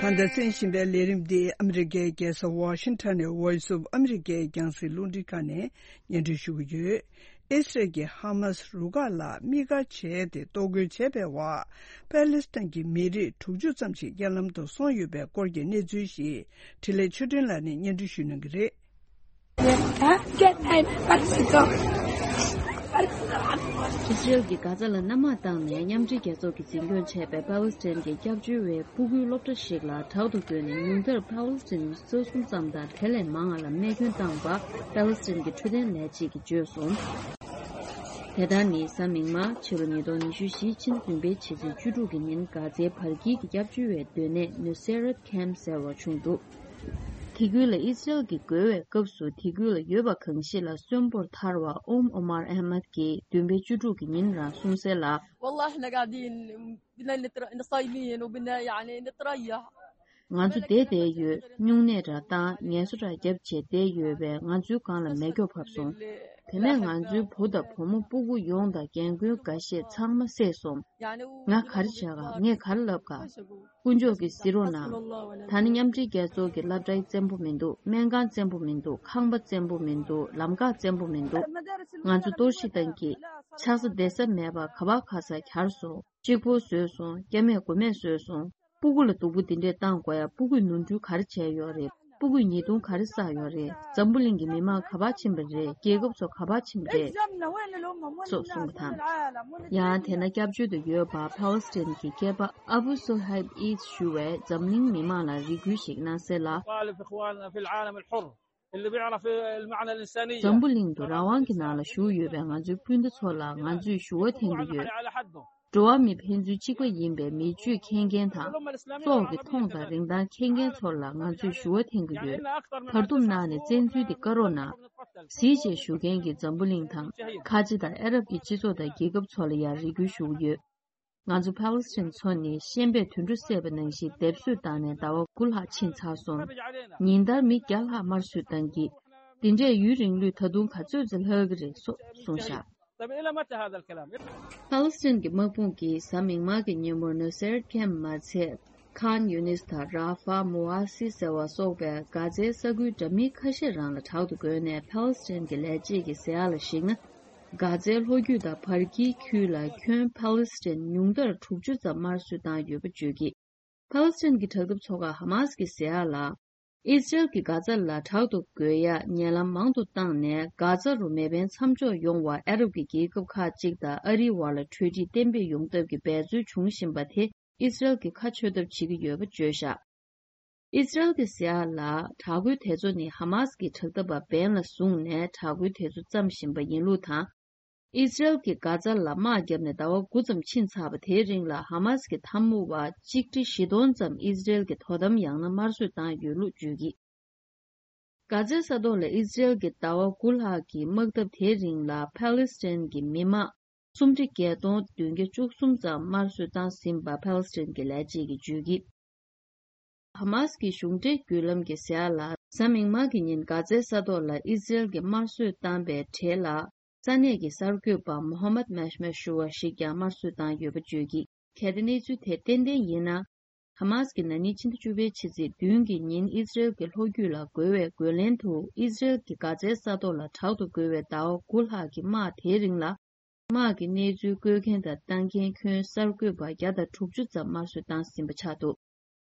ད་ལྟ་གསན་བཞིན་པའི་ལས་རིམ་འདི་ཨ་མི་རི་ཀའི་རྒྱལ་ས་ཝ་ཤིང་ཊོན་ནས་Voice of America རྒྱང་སྲིང་རླུང་འཕྲིན་ཁང་ནས་སྙན་སྒྲོན་ཞུ་གི་ཡོད། ཨི་སི་རལ་གྱིས་ཧ་མཱ་སི་རུ་ཁག་ལ་དམིགས་བཀར་བྱས་ཏེ་གཏོར་རྒོལ་བྱས་པའི་འོག་པ་ལི་སི་ཐན་གྱི་མི་རིགས་དྲུག་ཅུ་ཙམ་ཞིག་རྐྱེན་ལམ་དུ་སོང་ཡོད་པའི་སྐོར་གྱི་གནས་ཚུལ་ཞིག་འཕྲིན་ལས་ཆོས་སྒྲོན་ལགས་ནས་སྙན་སྒྲོན་ཞུ་གནང་གི་རེད། ཨི་སི་རེལ་གྱིས་གྷ་ཛ་ལ་མནའ་མ་བཏང་ནས་མཉམ་འབྲེལ་རྒྱལ་ཚོགས་ཀྱིས་འཛིན་སྐྱོང་བྱས་པའི་པ་ལི་སི་ཐན་གྱི་སྐྱབས་བཅོལ་བའི་སྤུ་གུའི་སློབ་གྲྭ་ཞིག་ལ་དྲག་ཏུ་རྒོལ་ནས་ཉུང་མཐར་པ་ལི་སི་ཐན་མི་སོ་གསུམ་ཙམ་དང་དེ་ལས་མང་བ་ལ་རྨས་སྐྱོན་བཏང་བ་པ་ལི་སི་ཐན་གྱི་འཕྲོད་བསྟེན་ལས་བྱེད་ཀྱིས་བརྗོད་སོང་། དེ་ལྟར་ནི་གཟའ་མིག་དམར་ཕྱི་ལོ་ཉིས་སྟོང་ཉི་ཤུ་བཞི་ཕྱི་ཟླ་བདུན་པའི་ཕྱི་ཚེས་བཅུ་དྲུག་གི་ཉིན་གྷ་ཛའི་བར་དཀྱིལ་གྱི་སྐྱབས་བཅོལ་བའི་སྡོད་གནས་ནུ་སེ་རད་ཁེམ་ཟེར་བ་བྱུང་འདུག་དེ་ཁུལ་ལ་ཨི་སི་རེལ་གྱིས་རྒོལ་བའི་སྐབས་སུ་དེ་ཁུལ་ལ་ཡོད་པ་གང་ཞིག་ལ་གསོན་པོར་ཐར་བ་ཨོམ་ཨོ་མར་ཨེ་མད་ཀྱིས་བདུན་པའི་བཅུ་དྲུག་གི་ཉིན་རང་གསུངས་གསལ་ལ། والله احنا قاعدين بدنا نتر- نصايمين وبدنا يعني نتريح. ང་ཚོ་བསྡད་བསྡད་ཡོད། སྨྱུང་གནས་འདྲ་བཏང་ངལ་གསོ་འདྲ་བརྒྱབ་བྱས་བསྡད་ཡོད་པས་ང་ཚོའི་སྒང་ལ་མེ་སྒྱོགས་བབས་སོང་། དེ་ནས་ང་ཚོའི་བུ་དང་བུ་མོ་སྤུ་གུ་ཡོངས་དང་རྒན་རྒོན་འགའ་ཤས་ཚང་མ་བསད་སོང་། ང་ག་རེ་བྱ་ག་ངས་ག་རེ་ལབ་ག་དཀོན་མཆོག་གིས་གཟིགས་རོགས་གནང་། ད་ནི་མཉམ་འབྲེལ་རྒྱལ་ཚོགས་ཀྱི་སློབ་གྲྭའི་བཙན་པོ་མི་འདུག་སྨན་ཁང་བཙན་པོ་མི་འདུག་ཁང་པ་བཙན་པོ་མི་འདུག་ལམ་ཁ་བཙན་པོ་མི་འདུག་ང་ཚོ་གཏོར་བཤིག་བཏང་གི་ཆགས་ས་བསྡད་ས་མེད་པ་ག་པར་ག་ས་གྱར་སོང་། གཅིག་པོ་བཟོས་སོང་། སྐྱེ་དམན་མགོ་མེད་བཟོས་སོང་། སྤུ་གུ་ལ་སྡུག་པོ་འདི་འདྲས་བཏང་དགོས་ཡ། སྤུ་གུས་ནོར་འཁྲུལ་ག་རེ་བྱས་ཡོད་རེད། སྤུ་གུས་ཉེས་རྡུང་ག་རེ་བསགས་ཡོད་རེད། འཛམ་བུ་གླིང་གི་མི་མང་ག་པར་ཕྱིན་པ་རེད། རྒྱལ་ཁབ་ཚོ་ག་པར་ཕྱིན་པ་རེད། སོགས་གསུངས་པ་དང་། ཡང་དེ་ན་སྐྱབས་བཅོལ་དུ་ཡོད་པ་ཕཱ་ལེ་སི་ཐན་གྱི་སྐྱེས་པ་ཨ་བུ་སོ་ཧེབ་ཨིས་ཞུ་བས་འཛམ་གླིང་མི་མང་ལ་རེ་སྐུལ་ཞིག་གནང་གསལ་ལ། طالب إخواننا في العالم الحر. اللي بيعرف المعنى الإنسانية. འཛམ་བུ་གླིང་དུ་རང་དབང་གི་ནང་ལ་བཞུགས་ཡོད་པའི་ང་ཚོའི་སྤུན་ཟླ་ཚོ་ལ་ང་ཚོས་ཞུ་བ་འཐེན་གྱི་ཡོད། འགྲོ་བ་མི་ཕན་ཚུན་གཅིག་པ་ཡིན་པའི་མི་སྤྱོད་མཁྱེན་མཁན་དང་། སྲོག་གི་མཐོང་དང་རིན་ཐང་མཁྱེན་མཁན་ཚོ་ལ་ང་ཚོས་ཞུ་བ་འཐེན་གྱི་ཡོད། བར་འདུམ་གནང་ནས་བཙན་འཛུལ་དེ་བཀག་རོགས་གནང་། གཟིགས་བྱས་ཞུ་མཁན་གྱི་འཛམ་བུ་གླིང་དང་། ཁ་ཆེ་དང་ཨ་རབ་ཀྱི་སྤྱི་ཚོགས་དང་རྒྱལ་ཁབ་ཚོ་ལ་ཡང་རེ་སྐུལ་ཞུ་གི་ཡོད། ང་ཚོ་ཕཱ་ལེ་སི་ཐན་ཚོ་ནི་ཤན་པས་དུད་འགྲོ་བསད་པ་ནང་བཞིན་སྡེབ་གསོད་བཏང་ནས་ཟླ་བ་དགུ་ལྷག་ཕྱིན་ཚར་སོང་། ཉིན་ལྟར་མི་བརྒྱ་ལྷག་དམར་གསོད་བཏང་གི། འདི་འདྲས་ཡུན་རིང་ལོས་ད་དུང་ག་ཚོད་ཙམ་ལྷག་གི་རེད་སོགས་གསུངས་བཞག طيب، إلى متى هذا الكلام؟ ཕཱ་ལེ་སི་ཐན་གྱི་དམག་དཔུང་གིས་གཟའ་མིག་དམར་གྱི་ཉིན་མོར་ནུ་སེར་ཁེམ་མ་ཚད། ཁཱན་ཡུ་ནིས་དང་ར་ཧྥ་མུ་ཨ་སི་ཟེར་བ་སོགས་པའི་གྷ་ཛའི་ས་ཁུལ་འདྲ་མིན་ཁ་ཤས་རང་ལ་དྲག་ཏུ་རྒོལ་ནས་ཕཱ་ལེ་སི་ཐན་གྱི་ལས་བྱེད་ཀྱི་ཟེར་ཡག་ལ་གཞིགས་ན། གྷ་ཛའི་ལྷོ་རྒྱུད་དང་བར་དཀྱིལ་ཁུལ་ལ་ཁྱོན་ཕཱ་ལེ་སི་ཐན་ཉུང་མཐར་དྲུག་ཅུ་ཙམ་དམར་གསོད་བཏང་ཡོད་པ་བརྗོད་ཀྱིས། ཕཱ་ལེ་སི་ཐན་གྱི་དྲག་འཐབ་ཚོགས་ཁག་ཧ་མཱ་སི་གི་ཟེར་ཡག་ལ། ཨི་སི་རེལ་གྱིས་གྷ་ཛ་ལ་དྲག་ཏུ་རྒོལ་ཡག་ཉེ་ལམ་མང་དུ་བཏང་ནས་གྷ་ཛ་རུ་མེ་འཕེན་མཚམས་འཇོག་ཡོང་བར་ཨ་རབ་ཀྱི་རྒྱལ་ཁབ་ཁག་ཅིག་དང་ཨ་རིའི་བར་ལ་གྲོས་འགྲིག་གཏན་འབེབས་ཡོང་ཐབས་ཀྱི་འབད་རྩོལ་འབྱུང་བཞིན་པ་དེ་ཨི་སི་རེལ་གྱིས་ཁ་ཆོད་ཐབས་བྱེད་ཀྱི་ཡོད་པ་བརྗོད་བཞག་ཨི་སི་རེལ་གྱི་ཟེར་ཡག་ལ་དྲག་རྒོལ་དེ་ཚོ་ནི་ཧ་མཱ་སི་གི་དྲག་འཐབ་པ་འབེན་ལ་བཟུང་ནས་དྲག་རྒོལ་དེ་ཚོ་བརྩམས་བཞིན་པ་ཡིན་ལུགས་དང་། ཨི་སི་རེལ་གྱིས་གྷ་ཛ་ལ་དམག་བརྒྱབ་ནས་ཟླ་བ་དགུ་ཙམ་ཕྱིན་ཚར་བ་དེའི་རིང་ལ་ཧ་མཱ་སི་གི་འཐབ་མོ་བ་གཅིག་ཁྲི་བཞི་སྟོང་ཙམ་ཨི་སི་རེལ་གྱི་དོ་དམ་ཡང་ན་དམར་གསོད་བཏང་ཡོད་ལུགས་བརྗོད་ཀྱིས། གྷ་ཛའི་ས་ཐོག་ལ་ཨི་སི་རེལ་གྱི་ཟླ་བ་དགུ་ལྷག་གི་དམག་འཐབ་དེའི་རིང་ལ་ཕཱ་ལེ་སི་ཐན་གྱི་མི་མང་སུམ་ཁྲི་བརྒྱད་སྟོང་བདུན་བརྒྱ་བཅུ་གསུམ་ཙམ་དམར་གསོད་བཏང་ཟིན་པ་ཕཱ་ལེ་སི་ཐན་གྱི་ལས་བྱེད་ཀྱིས་བརྗོད་ཀྱིས། ཧ་མཱ་སི་གི་གཞུང་འབྲེལ་བརྒྱུད་ལམ་གྱིས་ཟེར་ཡག་ལ་གཟའ་མིག་དམར་གྱི་ཉིན་གྷ་ཛའི་ས་ཐོག་ལ་ཨི་སི་རེལ་གྱིས་དམར་གསོད་བཏང་པའི་གྲས་ལ་ས་གནས་ཀྱི་གསར་འགོད་པ་མོ་ཧ་མད་མཱ་ཤ་མཱ་ཞུ་བ་ཞིག་ཀྱང་དམར་གསོད་བཏང་ཡོད་པ་བརྗོད་ཀྱིས། གལ་ཏེ་གནས་ཚུལ་དེ་ཏན་ཏན་ཡིན་ན། ཧ་མཱ་སི་གིས་ན་ནིང་ཕྱི་ཟླ་བཅུ་པའི་ཕྱི་ཚེས་བདུན་གྱི་ཉིན་ཨི་སི་རེལ་གྱི་ལྷོ་རྒྱུད་ལ་རྒོལ་བའི་རྒོལ་ལན་དུ་ཨི་སི་རེལ་གྱིས་གྷ་ཛའི་ས་ཐོག་ལ་དྲག་ཏུ་རྒོལ་བའི་ཟླ་བ་དགུ་ལྷག་གི་དམག་དེའི་རིང་ལ། དམག་གི་གནས་ཚུལ་བཀོད་མཁན་དང་བཏང་མཁན་ཁྱོན་གསར་འགོད་པ་བརྒྱ་དང་དྲུག་ཅུ་ཙམ་དམར་གསོད་བཏང་ཟིན་པ་ཆགས་འདུག་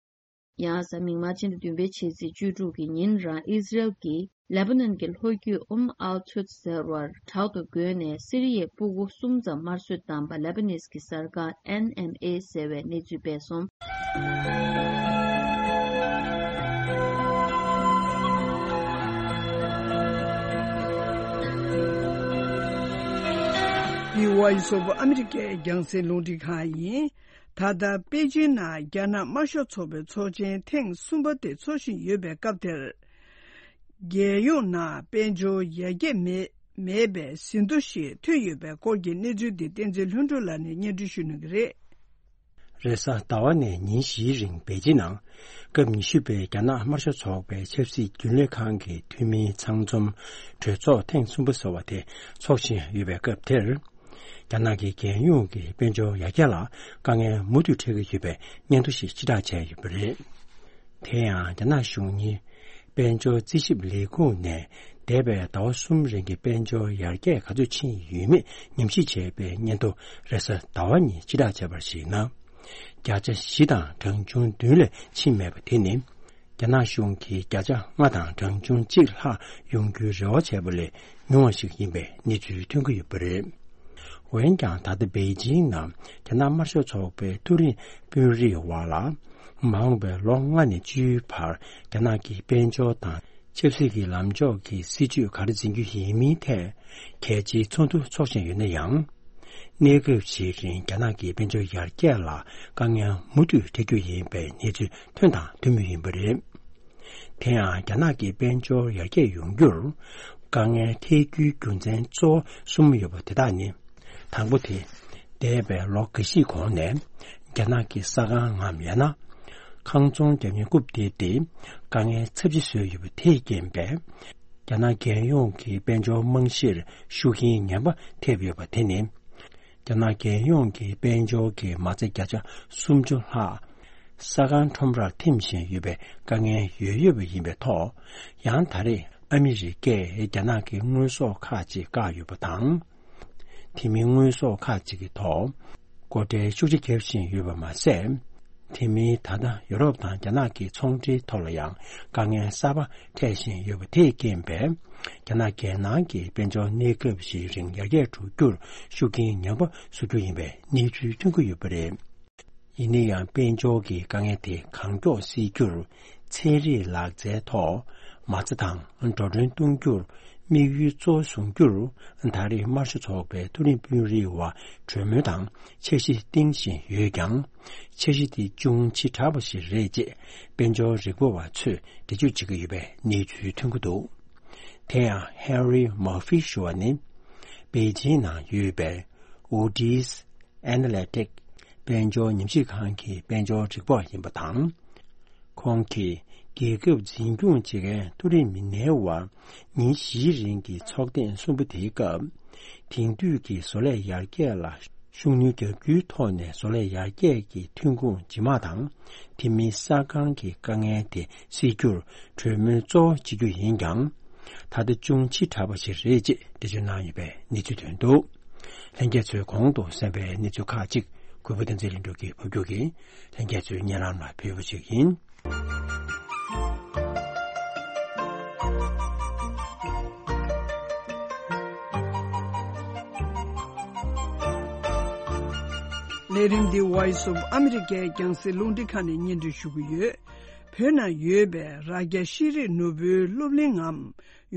ཡང་གཟའ་མིག་དམར་ཕྱི་ཟླ་བདུན་པའི་ཕྱི་ཚེས་བཅུ་དྲུག་གི་ཉིན་རང་ཨི་སི་རེལ་གྱིས་ལེ་པ་ནན་གྱི་ལྷོ་རྒྱུད་ཨུམ་ཨལ་ཐུད་ཟེར་བར་དྲག་ཏུ་རྒོལ་ནས་སི་རི་ཡའི་སྤུ་གུ་གསུམ་ཙམ་དམར་གསོད་བཏང་པ་ལེ་པ་ནེས་ཀྱི་གསར་ཁང་ཨེན་ཨེམ་ཨེ་ཟེར་བས་གནས་ཚུལ་སྤེལ་སོང་། འདི་ཝ་ཡི་སོག་པོ་ཨ་མི་རི་ཀའི་རྒྱང་སྲིང་རླུང་འཕྲིན་ཁང་ཡིན། ད་ལྟ་པེ་ཅིན་ནང་རྒྱ་ནག་དམར་ཤོག་ཚོགས་པའི་ཚོགས་ཆེན་ཐེངས་གསུམ་པ་དེ་འཚོགས་བཞིན་ཡོད་པའི་སྐབས་དེར། རྒྱལ་ཡོངས་ནང་དཔལ་འབྱོར་ཡར་རྒྱས་མེད་མེད་པའི་ཟིན་ཐོ་ཞིག་ཐོན་ཡོད་པའི་སྐོར་གྱི་གནས་ཚུལ་འདི་བསྟན་འཛིན་ལྷུན་གྲུབ་ལགས་ནས་སྙན་སྒྲོན་ཞུ་གནང་གི་རེད། རེས་གཟའ་ཟླ་བ་ནས་ཉིན་བཞིའི་རིང་པེ་ཅིན་ནང་སྐབས་ཉི་ཤུ་པའི་རྒྱ་ནག་དམར་ཤོག་ཚོགས་པའི་ཆབ་སྲིད་རྒྱུན་ལས་ཁང་གི་འཐུས་མིའི་ཚང་འཛོམས་གྲོས་ཚོགས་ཐེངས་གསུམ་པ་ཟེར་བ་དེ་འཚོགས་བཞིན་ཡོད་པའི་སྐབས་དེར། རྒྱ་ནག་གི་རྒྱལ་ཡོངས་ཀྱི་དཔལ་འབྱོར་ཡར་རྒྱས་ལ་དཀའ་ངལ་མུ་མཐུད་འཕྲད་ཀྱི་ཡོད་པའི་སྙན་ཐོ་ཞིག་ཕྱིར་བསྒྲགས་བྱས་ཡོད་པ་རེད། དེ་ཡང་རྒྱ་ནག་གཞུང་གཉེར་དཔལ་འབྱོར་རྩིས་ཞིབ་ལས་ཁུངས་ནས་འདས་པའི་ཟླ་བ་གསུམ་རིང་གི་དཔལ་འབྱོར་ཡར་རྒྱས་ག་ཚོད་ཕྱིན་ཡོད་མེད་ཉམས་ཞིབ་བྱས་པའི་སྙན་ཐོ་རེས་གཟའ་ཟླ་བ་ཉིན་ཕྱིར་བསྒྲགས་བྱས་པར་གཞིགས་ན། བརྒྱ་ཆ་བཞི་དང་གྲངས་ཆུང་བདུན་ལས་ཕྱིན་མེད་པ་དེ་ནི། རྒྱ་ནག་གཞུང་གིས་བརྒྱ་ཆ་ལྔ་དང་གྲངས་ཆུང་གཅིག་ལྷག་ཡོང་རྒྱུའི་རེ་བ་བྱས་པ་ལས་ཉུང་བ་ཞིག་ཡིན་པའི་གནས་ཚུལ་ཐོན་གྱི་ཡོད་པ་རེད། འོན་ཀྱང་། ད་ལྟ་པེ་ཅིང་ནང་རྒྱ་ནག་དམར་ཤོག་ཚོགས་པའི་མཐོ་རིམ་དཔོན་རིགས་བར་ལ། མ་འོངས་པའི་ལོ་ལྔ་ནས་བཅུའི་བར་རྒྱ་ནག་གི་དཔལ་འབྱོར་དང་ཆབ་སྲིད་ཀྱི་ལམ་ཕྱོགས་ཀྱི་སྲིད་ཇུས་ག་རེ་འཛིན་རྒྱུ་ཡིན་མིན་ཐད་གལ་ཆེའི་ཚོགས་འདུ་འཚོགས་བཞིན་ཡོད་ན་ཡང་། གནས་སྐབས་ཤིག་རིང་རྒྱ་ནག་གི་དཔལ་འབྱོར་ཡར་རྒྱས་ལ་དཀའ་ངལ་མུ་མཐུད་འཕྲད་རྒྱུ་ཡིན་པའི་གནས་ཚུལ་ཐོན་དང་ཐོན་མུས་ཡིན་པ་རེད། དེ་ཡང་རྒྱ་ནག་གི་དཔལ་འབྱོར་ཡར་རྒྱས་ཡོང་རྒྱུར་དཀའ་ངལ་འཕྲད་རྒྱུའི་རྒྱུ་མཚན་གཙོ་བོ་གསུམ་ཡོད་པ་དེ་དག་ནི། དང་པོ་དེ། འདས་པའི་ལོ་འགའ་ཞིག་གོང་ནས་རྒྱ་ནག་གི་ས་ཁང་ངམ་ཡང་ན་ཁང་ཚོང་རྒྱག་མཁན་རྐུབ་སྟེགས་དེ་དཀའ་ངལ་ཚབས་ཆེ་བཟོས་ཡོད་པ་དེས་རྐྱེན་པས། རྒྱ་ནག་རྒྱལ་ཡོངས་ཀྱི་དཔལ་འབྱོར་རྨང་གཞིར་ཤུགས་རྐྱེན་ངན་པ་ཐེབས་ཡོད་པ་དེ་ནི། རྒྱ་ནག་རྒྱལ་ཡོངས་ཀྱི་དཔལ་འབྱོར་གྱི་མ་རྩ་བརྒྱ་ཆ་སུམ་ཅུ་ལྷག་ས་ཁང་ཁྲོམ་རར་འཐིམ་བཞིན་ཡོད་པའི་དཀའ་ངལ་ཡོད་ཡོད་པ་ཡིན་པའི་ཐོག། ཡང་ད་རེས་ཨ་མི་རི་ཀས་རྒྱ་ནག་གི་དངོས་ཟོག་ཁག་ཅིག་བཀག་ཡོད་པ་དང་། དེ་མིན་དངོས་ཟོག་ཁག་ཅིག་གི་ཐོག་སྒོ་ཁྲལ་ཤུགས་ཆེ་བརྒྱབ་བཞིན་ཡོད་པ་མ་ཟད། དེ་མིན་ད་ལྟ་ཡོ་རོབ་དང་རྒྱ་ནག་གི་ཚོང་འབྲེལ་ཐོག་ལ་ཡང་དཀའ་ངལ་གསར་པ་འཕྲད་བཞིན་ཡོད་པ་དེས་རྐྱེན་པས། རྒྱ་ནག་རྒྱལ་ནང་གི་དཔལ་འབྱོར་གནས་སྐབས་ཤིག་རིང་ཡར་རྒྱས་འགྲོ་རྒྱུར་ཤུགས་རྐྱེན་ངན་པ་བཟོ་རྒྱུ་ཡིན་པའི་གནས་ཚུལ་ཐོན་གྱི་ཡོད་པ་རེད། ཡིན་ན་ཡང་དཔལ་འབྱོར་གྱི་དཀའ་ངལ་དེ་གང་མགྱོགས་སེལ་རྒྱུར། ཚན་རིག་ལག་རྩལ་ཐོག་མ་རྩ་དང་འགྲོ་གྲོན་གཏོང་རྒྱུར་དམིགས་ཡུལ་གཙོ་བོ་བཟུང་རྒྱུར། ད་རེས་དམར་ཤོག་ཚོགས་པའི་མཐོ་རིམ་དཔོན་རིགས་བར་གྲོས་མོལ་དང་འཆར་གཞི་བཏིང་བཞིན་ཡོད་ཀྱང་། འཆར་གཞི་དེ་ཅུང་ཕྱི་དྲགས་པ་ཞིག་རེད་ཅེས་དཔལ་འབྱོར་རིག་པ་བ་ཚོས་འགྲེལ་བརྗོད་བྱེད་ཀྱི་ཡོད་པའི་གནས་ཚུལ་ཐོན་གྱི་འདུག་དེ་ཡང་Harry Murphy ཞུ་བ་ནི། པེ་ཅིང་ནང་ཡོད་པའི་Otis Analytic དཔལ་འབྱོར་ཉམས་ཞིབ་ཁང་གི་དཔལ་འབྱོར་རིག་པ་ཡིན་པ་དང་། ཁོང་གིས་རྒྱལ་ཁབ་འཛིན་སྐྱོང་བྱེད་མཁན་མཐོ་རིམ་མི་སྣའི་བར་ཉིན་བཞིའི་རིང་གི་ཚོགས་ཐེངས་གསུམ་པ་དེའི་སྐབས། དེང་དུས་ཀྱི་བཟོ་ལས་ཡར་རྒྱས་ལ་ཤུགས་སྣོན་རྒྱག་རྒྱུའི་ཐོག་ནས་བཟོ་ལས་ཡར་རྒྱས་ཀྱི་ཐོན་ཁུངས་ཇེ་མང་དང་། དེ་མིན་ས་ཁང་གི་དཀའ་ངལ་དེ་སེལ་རྒྱུར་གྲོས་མོལ་གཙོ་བོ་བྱེད་རྒྱུ་ཡིན་ཀྱང་། ད་ལྟ་ཅུང་ཕྱི་དྲགས་པ་ཞིག་རེད་ཅེས་འགྲེལ་བརྗོད་གནང་ཡོད་པའི་གནས་ཚུལ་ཐོན་འདུག་ལྷན་རྒྱས་ཚོས་གོང་དུ་གསན་པའི་གནས་ཚུལ་ཁག་ཅིག་གུས་པ་བསྟན་འཛིན་ལྷུན་གྲུབ་ཀྱིས་ཕབ་སྒྱུར་གྱིས་ལྷན་རྒྱས་ཚོའི་སྙན་ལམ་ལ་ཕུལ་བ་ཞིག་ཡིན། ལས་རིམ་འདི་Voice of America རྒྱང་སྲིང་རླུང་འཕྲིན་ཁང་ནས་སྙན་སྒྲོན་ཞུ་གི་ཡོད། བོད་ནང་ཡོད་པའི་རྭ་རྒྱ་ཤེས་རིག་ནོར་བུའི་སློབ་གླིང་ངམ་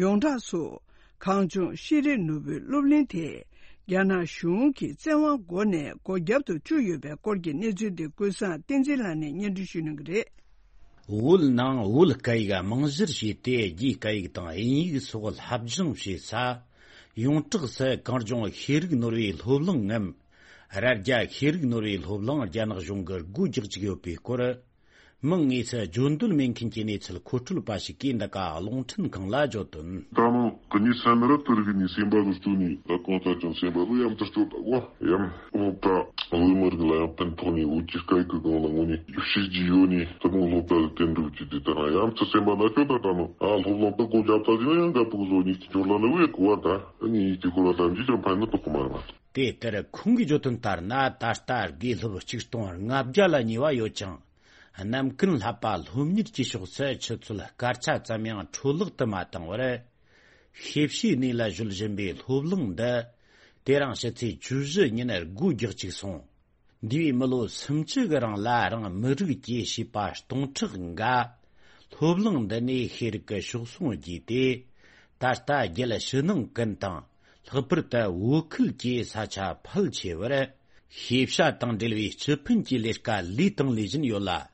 ཡོངས་གྲགས་སུ། གངས་ལྗོངས་ཤེས་རིག་ནོར་བུའི་སློབ་གླིང་དེ། རྒྱ་ནག་གཞུང་གིས་བཙན་དབང་སྒོ་ནས་སྒོ་བརྒྱབ་ཏུ་བཅུག་ཡོད་པའི་སྐོར་གྱི་གནས་ཚུལ་དེ་ཀུན་བཟང་བསྟན་འཛིན་ལགས་ནས་སྙན་སྒྲོན་ཞུ་གནང་གི་རེད། བོད་ནང་བོད་སྐད་ཡིག་རྨང་གཞིར་བྱས་ཏེ་རྒྱའི་སྐད་ཡིག་དང་དབྱིན་ཡིག་སོགས་སློབ་སྦྱོང་བྱེད་ས། ཡོངས་གྲགས་སུ་གངས་ལྗོངས་ཤེས་རིག་ནོར་བུའི་སློབ་གླིང་ངམ། རྭ་རྒྱ་ཤེས་རིག་ནོར་བུའི་སློབ་གླིང་རྒྱ་ནག་གཞུང་གིས་སྒོ་རྒྱག་བཅུག་ཡོད་པའི་སྐོར། མིང་དངོས་སུ་བརྗོད་འདོད་མེད་མཁན་གྱི་གནས་ཚུལ་མཁོ་སྤྲོད་པ་ཞིག་གིས་འདི་ག་རླུང་འཕྲིན་ཁང་ལ་བརྗོད་དོན། ད་ནི་ཀུ་ནི་སན་ར་ཏུར་གི་ནི་སེམས་པ་གི་སྟོད་ནི་ད་གང་ལྟར་ཀྱང་སེམས་པ་གི་ཡམ་ཐར་སྐྱོད་པ་གོ་ཡམ་ཨོ་ད་བོད་མི་རིགས་ལ་ཡང་ཕན་ཐོགས་ནི་བོད་ཀྱི་སྐད་ཀྱི་སྒང་ལ་ངོ་ནི་ཤེས་ཀྱི་ཡོད་ནི་ཐུན་མོང་སློབ་གྲྭ་གི་དེ་འགྲུབ་ཀྱི་དེ་ལྟར་ན་ཡམ་ཐར་སེམས་པ་ན་སྐྱོད་ད་ད་ནི་ཨ་སློབ་གླིང་ད་སྒོ་བརྒྱབ་ད་ཟིན་ན་ཡང་དགའ་པོ་གི་བཟོ་ནི་སྐྱོར་ལ་ལ་བས་གོ་བ་ད་ཨ་ནི་ཡིད་ཀྱི་ཁོ་ལ་ད་འཇིག་ཀྱང་ཕན་ནི་དོགས་གི་མ་རེད་མ། དེ་ལྟར་ཁོང་གིས་བརྗོད་དོན་ལྟར་ན། ད་ལྟ་དགེ་སློབ་ཆིག་སྟོང་ལྔ་བརྒྱ་ལ་ཉེ་བ་ཡོད་ཅིང་། ནམ་རྒྱུན་བསླབ་པ་སློབ་གཉེར་གྱི་ཕྱོགས་སུ་ཆུ་ཚོད་སྐར་ཆ་ཙམ་ཡང་འཕྲོ་བརླག་ཏུ་མ་བཏང་བར། ཤེས་བྱའི་གནས་ལ་གཞོལ་བཞིན་པའི་སློབ་གླིང་འདི། དེ་རིང་ཕྱི་ཚེས་བཅུ་བཞི་ཉིན་སྒོ་རྒྱག་བཅུག་སོང་། འདས་པའི་མི་ལོ་སུམ་ཅུ་གི་རིང་ལ་རང་མི་རིགས་ཀྱི་བྱིས་པ་སྟོང་ཕྲག་འགའ། སློབ་གླིང་འདི་ནས་ཤེས་རིག་གི་གཤོག་ཟུང་རྒྱས་ཏེ། ད་ལྟ་རྒྱལ་ཕྱི་ནང་ཀུན་དང་། ལྷག་པར་དུ་བོད་ཁུལ་གྱི་ས་ཆ་ཕལ་ཆེ་བར་ཤེས་བྱ་དང་འབྲེལ་བའི་སྤྱི་ཕན་གྱི་ལས་ཀ་ལས་དང་ལས་བཞིན་ཡོད་ལ།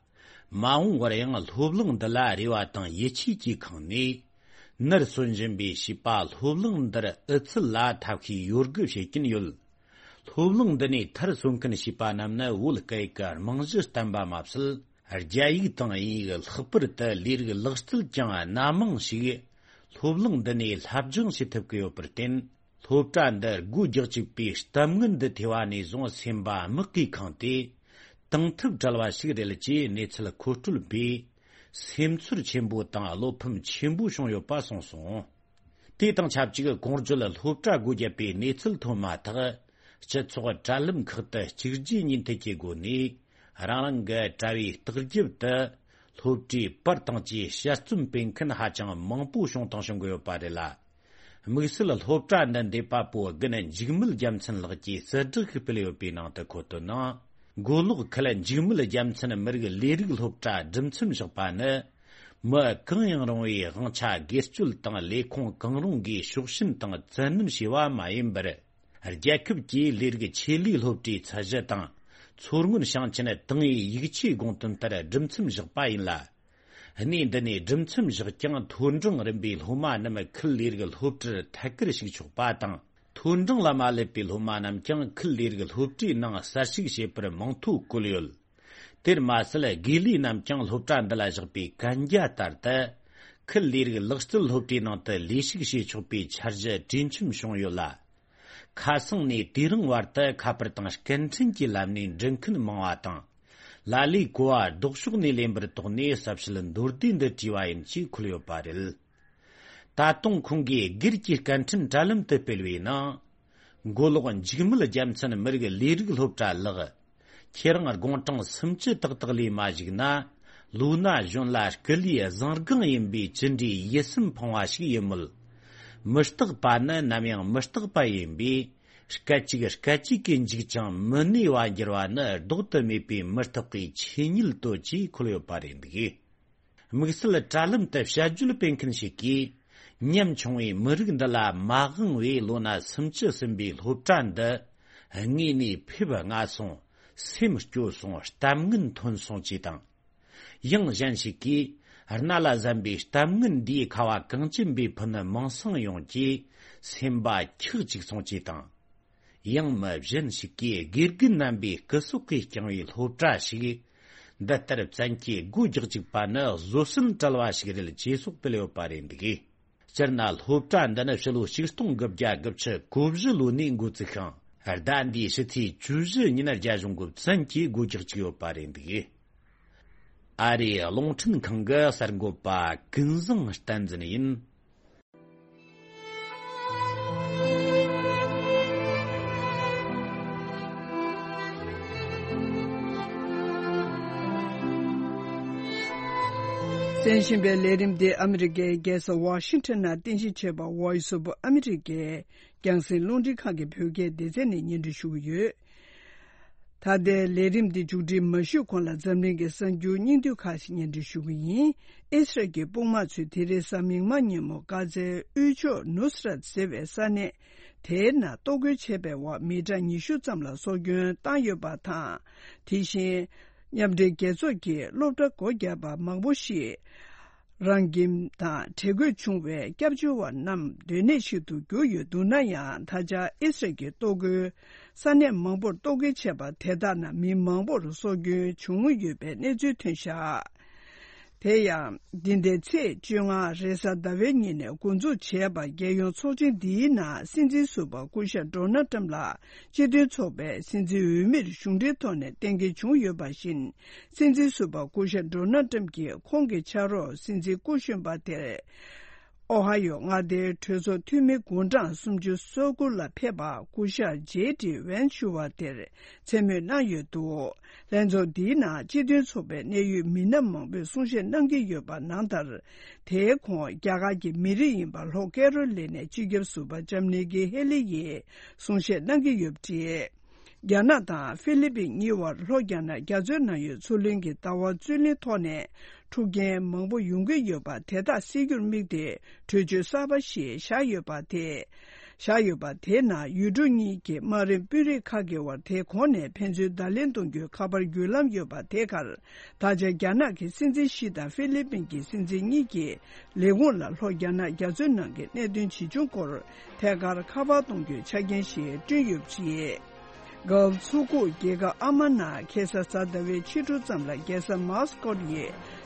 མ་འོངས་བར་ཡང་སློབ་གླིང་འདི་ལ་རེ་བ་དང་ཡིད་ཆེས་ཀྱིས་ཁེངས་ནས། ནར་སོན་བཞིན་པའི་བྱིས་པ་སློབ་གླིང་འདིར་ཨུ་ཚུགས་ལ་ཐབས་ཤེས་ཡོད་དགུ་བྱེད་ཀྱིན་ཡོད། སློབ་གླིང་འདི་ནས་མཐར་སོན་མཁན་བྱིས་པ་རྣམས་ནི་བོད་སྐད་ཀྱི་རྨང་གཞི་བརྟན་པ་མ་ཟད། རྒྱ་ཡིག་དང་དབྱིན་ཡིག་ལྷག་པར་དུ་ལས་རིགས་ལག་རྩལ་ཀྱང་སྣ་མང་ཞིག་སློབ་གླིང་འདི་ནས་སློབ་སྦྱོང་བྱེད་ཐུབ་ཀྱི་ཡོད་པར་བརྟེན། སློབ་གྲྭ་འདི་སྒོ་རྒྱག་བཅུག་པའི་གཏམ་ངན་འདི་ཐོས་པ་ནས་བཟུང་སེམས་པ་མུག་གིས་ཁེངས་ཏེ། དང་ཐུག་བྲལ་བ་ཞིག་རེད་ཅེས་གནས་ཚུལ་མཁོ་སྤྲོད་པས་སེམས་ཚོར་ཆེན་པོ་དང་བློ་ཕམ་ཆེན་པོ་བྱུང་ཡོད་པ་གསུངས་སོང་། དེ་དང་ཆབས་ཅིག་གོང་བརྗོད་སློབ་གྲྭ་སྒོ་བརྒྱབ་པའི་གནས་ཚུལ་ཐོན་མ་ཐག་སྤྱི་ཚོགས་དྲ་ལམ་ཁག་ཏུ་གཅིག་རྗེས་གཉིས་མཐུད་ཀྱི་སྒོ་ནས་རང་རང་གི་དྲ་བའི་ལྟག་རྒྱབ་ཏུ་སློབ་གྲྭའི་པར་དང་བཅས་དཔྱད་རྩོམ་སྤེལ་མཁན་ཧ་ཅང་མང་པོ་བྱུང་དང་བྱུང་གི་ཡོད་པ་རེད་ལ། དམིགས་བསལ་སློབ་གྲྭ་འདི་འདེབས་པ་པོ་དགུན་འཇིགས་མེད་རྒྱལ་མཚན་ལགས་ཀྱིས་གསལ་བསྒྲགས་ཤིག་སྤེལ་ཡོད་པའི་ནང་དུ་འཁོད་དོན་ནང་། མགོ་ལོག་ཁུལ་འཇིགས་མེད་རྒྱལ་མཚན་མི་རིགས་ལས་རིགས་སློབ་གྲྭ་སྒྲུབ་མཚམས་བཞག་པ་ནི། མི་གང་ཡང་རུང་བའི་དབང་ཆ་སྒེར་གཅོད་དང་ལས་ཁུངས་གང་རུང་གིས་ཕྱོགས་ཞེན་དང་བཙན་གནོན་བྱས་པ་མ་ཡིན་པར། རྒྱལ་ཁབ་ཀྱི་ལས་རིགས་ཆེད་ལས་སློབ་གྲྭའི་ཚད་གཞི་དང་། མཚོ་སྔོན་ཞིང་ཆེན་ཏང་ཨུའི་ཡིག་ཆའི་དགོངས་དོན་ལྟར་སྒྲུབ་མཚམས་བཞག་པ་ཡིན་ལ། གནས་འདི་ནས་སྒྲུབ་མཚམས་བཞག་ཀྱང་མཐོ་འབྲིང་རིམ་པའི་སློབ་མ་རྣམས་ཁུལ་ལས་རིགས་སློབ་གྲྭར་ཐད་ཀར་ཞུགས་ཆོག་པ་དང་། མཐོ་འབྲིང་ལ་མ་སླེབས་པའི་སློབ་མ་རྣམས་ཀྱང་ཁུལ་ལས་རིགས་སློབ་གྲྭའི་ནང་གསར་ཞུགས་བྱེད་པར་མིང་ཐོ་བཀོད་ཡོད། དེར་མ་ཟད། དགེ་ལས་རྣམས་ཀྱང་སློབ་གྲྭ་འདི་ལ་བཞག་པའི་གན་རྒྱ་ལྟར་དུ། ཁུལ་ལས་རིགས་ལག་རྩལ་སློབ་གྲྭའི་ནང་དུ་ལས་ཞུགས་བྱེད་ཆོག་པའི་འཆར་གཞི་གྲོས་འཆམ་བྱུང་ཡོད་ལ། ཁ་སང་ནས་དེ་རིང་བར་དུ་ཁ་པར་དང་སྐད་འཕྲིན་གྱི་ལམ་ནས་འདྲི་མཁན་མང་བ་དང་། ལ་ལས་གོ་བ་ལྡོག་ཕྱོགས་ནས་ལེན་པར་དོགས་ནས་གསལ་བཤད་མདོར་བསྡུས་འདི་བྲིས་པ་ཡིན་ཅེས་འཁོད་ཡོད་པ་རེད། ད་དུང་ཁོང་གིས་སྒེར་གྱི་སྐད་འཕྲིན་དྲ་ལམ་དུ་སྤེལ་བའི་ནང་། མགོ་ལོག་འཇིགས་མེད་རྒྱལ་མཚན་མི་རིགས་ལས་རིགས་སློབ་གྲྭ་ལགས། ཁྱེད་རང་དགུང་གྲངས་སུམ་ཅུ་ཏག་ཏག་ལས་མ་བཞུགས་ན། ལོ་ན་གཞོན་ལ་སྐུ་ལུས་བཟང་སྒང་ཡིན་པའི་ཅི་འདྲའི་ཡིད་སེམས་ཕངས་པ་ཞིག་ཡིན་མོད། མི་རྟག་པ་ནི་ནམ་ཡང་མི་རྟག་པ་ཡིན་པས། སྐད་ཅིག་སྐད་ཅིག་གིས་འཇིག་ཅིང་མི་གནས་པ་འགྱུར་བ་ནི་ལྡོག་ཏུ་མེད་པའི་མི་རྟག་པའི་ཆོས་ཉིད་དོ་ཅེས་འཁོད་ཡོད་པ་རེད་འདུག། དམིགས་བསལ་དྲ་ལམ་དུ་དཔྱད་བརྗོད་སྤེལ་མཁན་ཞིག་གིས། ཉམ་ཆུང་བའི་མི་རིགས་འདི་ལ་མ་དབང་བའི་ལོ་ན་སུམ་ཅུ་ཟིན་པའི་སློབ་གྲྭ་འདི། དངོས་གནས་ཕེབས་སྔ་སོང་། སེམས་སྐྱོ་སོང་། གཏམ་ངན་ཐོན་སོང་ཅེས་དང་། ཡང་གཞན་ཞིག་གིས། རྣ་ལ་གཟན་པའི་གཏམ་ངན་འདིའི་ཁ་བ་གངས་ཅན་པའི་ཕུ་ནུ་མིང་སྲིང་ཡོངས་ཀྱིས་སེམས་པ་འཁྱག་ཅིག་སོང་ཅེས་དང་། ཡང་མི་གཞན་ཞིག་གིས་དགེ་རྒན་རྣམ་པའི་སྐུ་སྲོག་གིས་བསྐྱངས་པའི་སློབ་གྲྭ་ཞིག་འདི་ལྟར་བཙན་གྱིས་སྒོ་རྒྱག་བཅུག་པ་ནི་བཟོད་བསྲན་བྲལ་བ་ཞིག་རེད་ཅེས་སོགས་སྤེལ་ཡོད་པ་རེད་འདུག། སྤྱིར་ན་སློབ་གྲྭ་འདི་ནི་ཕྱི་ལོ་ཆིག་སྟོང་དགུ་བརྒྱ་དགུ་བཅུ་གོ་བཞི་ལོ་ནས་འགོ་བཙུགས་ཤིང་། ཟླ་འདིའི་ཕྱི་ཚེས་བཅུ་བཞི་ཉིན་རྒྱ་གཞུང་གིས་བཙན་གྱིས་སྒོ་རྒྱག་བཅུག་ཡོད་པ་རེད་འདུག། ཨ་རིའི་རླུང་འཕྲིན་ཁང་གི་གསར་འགོད་པ་ཀུན་བཟང་བསྟན་འཛིན་ཡིན། གསན་བཞིན་པའི་ལས་རིམ་འདི་ཨ་མི་རི་ཀའི་རྒྱལ་ས་ཝ་ཤིང་ཊོན་ནང་རྟེན་གཞི་བྱས་པ་Voice of America རྒྱང་སྲིང་རླུང་འཕྲིན་ཁང་གི་བོད་སྐད་སྡེ་ཚན་ནས་སྙན་སྒྲོན་ཞུ་གི་ཡོད། ད་ལྟའི་ལས་རིམ་འདི་མཇུག་སྒྲིལ་མ་ཞུས་གོང་ལ་འཛམ་གླིང་གི་གསར་འགྱུར་སྙིང་བསྡུས་ཁག་ཅིག་སྙན་སྒྲོན་ཞུ་གི་ཡིན། ཨི་སི་རལ་གྱི་དཔུང་དམག་ཚོས་དེ་རིང་གཟའ་མིག་དམར་ཉིན་མོ་གྷ་ཛའི་དབུས་ཕྱོགས་ནུ་སི་རད་ཟེར་བའི་ས་གནས་དེའི་ནང་གཏོར་རྒོལ་བྱས་པའི་འོག་མི་གྲངས་ཉི་ཤུ་ཙམ་ལ་སྲོག་སྐྱོན་བཏང་ཡོད་པ་དང་། དེ་བཞིན་མཉམ་འབྲེལ་རྒྱལ་ཚོགས་ཀྱི་སློབ་གྲྭ་སྒོ་བརྒྱབ་པ་མང་པོ་ཞིག་རང་ཁྱིམ་དང་བྲལ་དགོས་བྱུང་བའི་སྐྱབས་བཅོལ་བ་རྣམས་སྡོད་གནས་ཤིག་ཏུ་གྱུར་ཡོད་འདུག་ན་ཡང་། ད་ཆ་ཨི་སི་རལ་གྱི་གཏོར་རྒོལ་ས་གནས་མང་པོར་གཏོར་རྒོལ་བྱས་པ་དེ་དག་ནང་མི་མང་པོར་སྲོག་སྐྱོན་བྱུང་ཡོད་པའི་གནས་ཚུལ་ཐོན་བཞག་དེ་ཡང་། འདི་ཟླའི་ཚེས་བཅོ་ལྔ་རེས་གཟའ་ཟླ་བའི་ཉིན་ནས་འགོ་འཛུགས་བྱས་པ་རྒྱལ་ཡོངས་ཚོགས་ཆེན་འདིའི་ནང་སྲིད་འཛིན་ཟུར་པ་སྐུ་ཞབས་ཌོ་ནལ་ཏྲམ་ལགས་སྤྱི་མཐུན་ཚོགས་པའི་སྲིད་འཛིན་འོས་མིར་གཞུང་འབྲེལ་ཐོག་ནས་གཏན་འཁེལ་བྱུང་ཡོད་པ་བཞིན། སྲིད་འཛིན་ཟུར་པ་སྐུ་ཞབས་ཌོ་ནལ་ཏྲམ་གྱིས་ཁོང་གི་ཕྱག་རོགས་སྲིད་འཛིན་སྐུ་གཞོན་པ་དེར། ཨོ་ཧ་ཡོ་མངའ་སྡེའི་གྲོས་ཚོགས་འཐུས་མི་དགུང་གྲངས་སུམ་ཅུ་སོ་དགུ་ལ་ཕེབས་པ་སྐུ་ཞབས་ཇེ་ཌི་ཝན་ཞུ་བ་དེར་མཚན་སྨོད་གནང་ཡོད་འདུག་ལྷན་ཚོགས་འདིའི་ནང་སྤྱི་མཐུན་ཚོགས་པའི་གནད་ཡོད་མི་སྣ་མང་པོས་གསུང་བཤད་གནང་གི་ཡོད་པ་ནང་ལྟར། དེའི་གོང་རྒྱ་གར་གྱི་མི་རིགས་ཡིན་པ་ལྷོ་ཀེ་རོ་ལི་ནའི་སྤྱི་ཁྱབ་ཟུར་པ་ལྕམ་ནི་ཀི་ཧེ་ལི་ཡིས་གསུང་བཤད་གནང་གི་ཡོད་པ་རེད། རྒྱ་ནག་དང་ཧྥི་ལི་པིན་གཉིས་བར་ལྷོ་རྒྱ་ནག་རྒྱ་མཚོའི་ནང་ཡོད་མཚོ་གླིང་གི་ཟླ་བ་རྩོད་གླེང་ཐོག་ནས་འཁྲུག་རྐྱེན་མང་པོ་ཡོང་གི་ཡོད་པ་དེ་དག་སེལ་རྒྱུར་དམིགས་ཏེ་གྲོས་ཆོད་གསར་པ་ཞིག་བཞག་ཡོད་པ་དེ། བཞག་ཡོད་པ་དེའི་ནང་ཡུལ་གྲུ་གཉིས་ཀྱི་དམག་རིམ་དཔོན་རིགས་ཁག་གི་དབར་དེ་གོང་ནས་ཕན་ཚུན་བརྡ་ལན་གཏོང་རྒྱུའི་ཁ་པར་བརྒྱུད་ལམ་ཡོད་པ་དེ་གར། ད་ཆ་རྒྱ་ནག་གི་སྲིད་འཛིན་ཞི་དང་ཧྥི་ལི་པིན་གྱི་སྲིད་འཛིན་གཉིས་ཀྱིས་ལས་ཁུངས་ལ་ལྷོ་རྒྱ་ནག་རྒྱ་མཚོའི་ནང་གི་གནད་དོན་ཇི་བྱུང་སྐོར་ཐད་ཀར་ཁ་པར་གཏོང་རྒྱུའི་ཆ་རྐྱེན་ཞིག་བསྐྲུན་ཡོད་པ་རེད། གྷལཕ་མཚོ་ཁུག་རྒྱལ་ཁབ་ཨ་མན་ནང་ཁེ་ས་གཟའ་ཟླ་བའི་ཕྱི་དྲོ་ཙམ་ལ་རྒྱལ་ས་མཱ་སི་ཀོ་ཡི་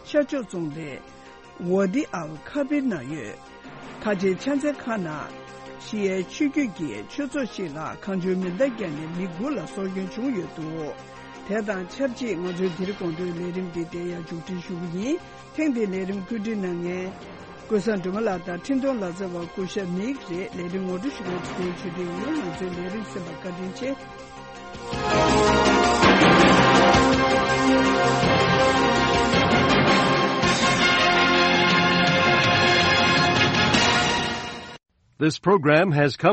ཤར་ཕྱོགས་རྫོང་སྡེ་ཝ་ཏི་ཨལ་ཁ་བིར་ནང་ཡོད། ཁ་ཆེའི་ཕྱག་འཚལ་ཁང་ནང་ཤི་ཡའི་ཆོས་བརྒྱུད་ཀྱི་ཆོས་ཚོགས་ཤིག་ལ་གང་བྱུང་མེ་མདའ་བརྒྱབ་ནས་མི་དགུ་ལ་སྲོག་སྐྱོན་བྱུང་ཡོད་འདུག་དེ་དང་ཆབས་ཅིག་ང་ཚོའི་འདིར་དགོང་དྲོའི་ལས་རིམ་འདི་དེ་ཡང་མཇུག་སྒྲིལ་ཞུ་གི་ཡིན། ཐེངས་འདིའི་ལས་རིམ་བཀོད་སྒྲིག་གནང་མཁན། ཀུན་བཟང་སྒྲོལ་མ་ལགས་དང་འཕྲིན་གཏོང་ལག་རྩལ་བ་སྐུ་ཞབས་ནིག་རེད། ལས་རིམ་ངོ་སྤྲོད་ཞུ་མཁན་ཚེ་རིང་ཆོས་སྒྲོན་ཡིན། ང་ཚོའི་ལས་རིམ་གསན་པར་བཀའ་དྲིན་ཆེ། This program has come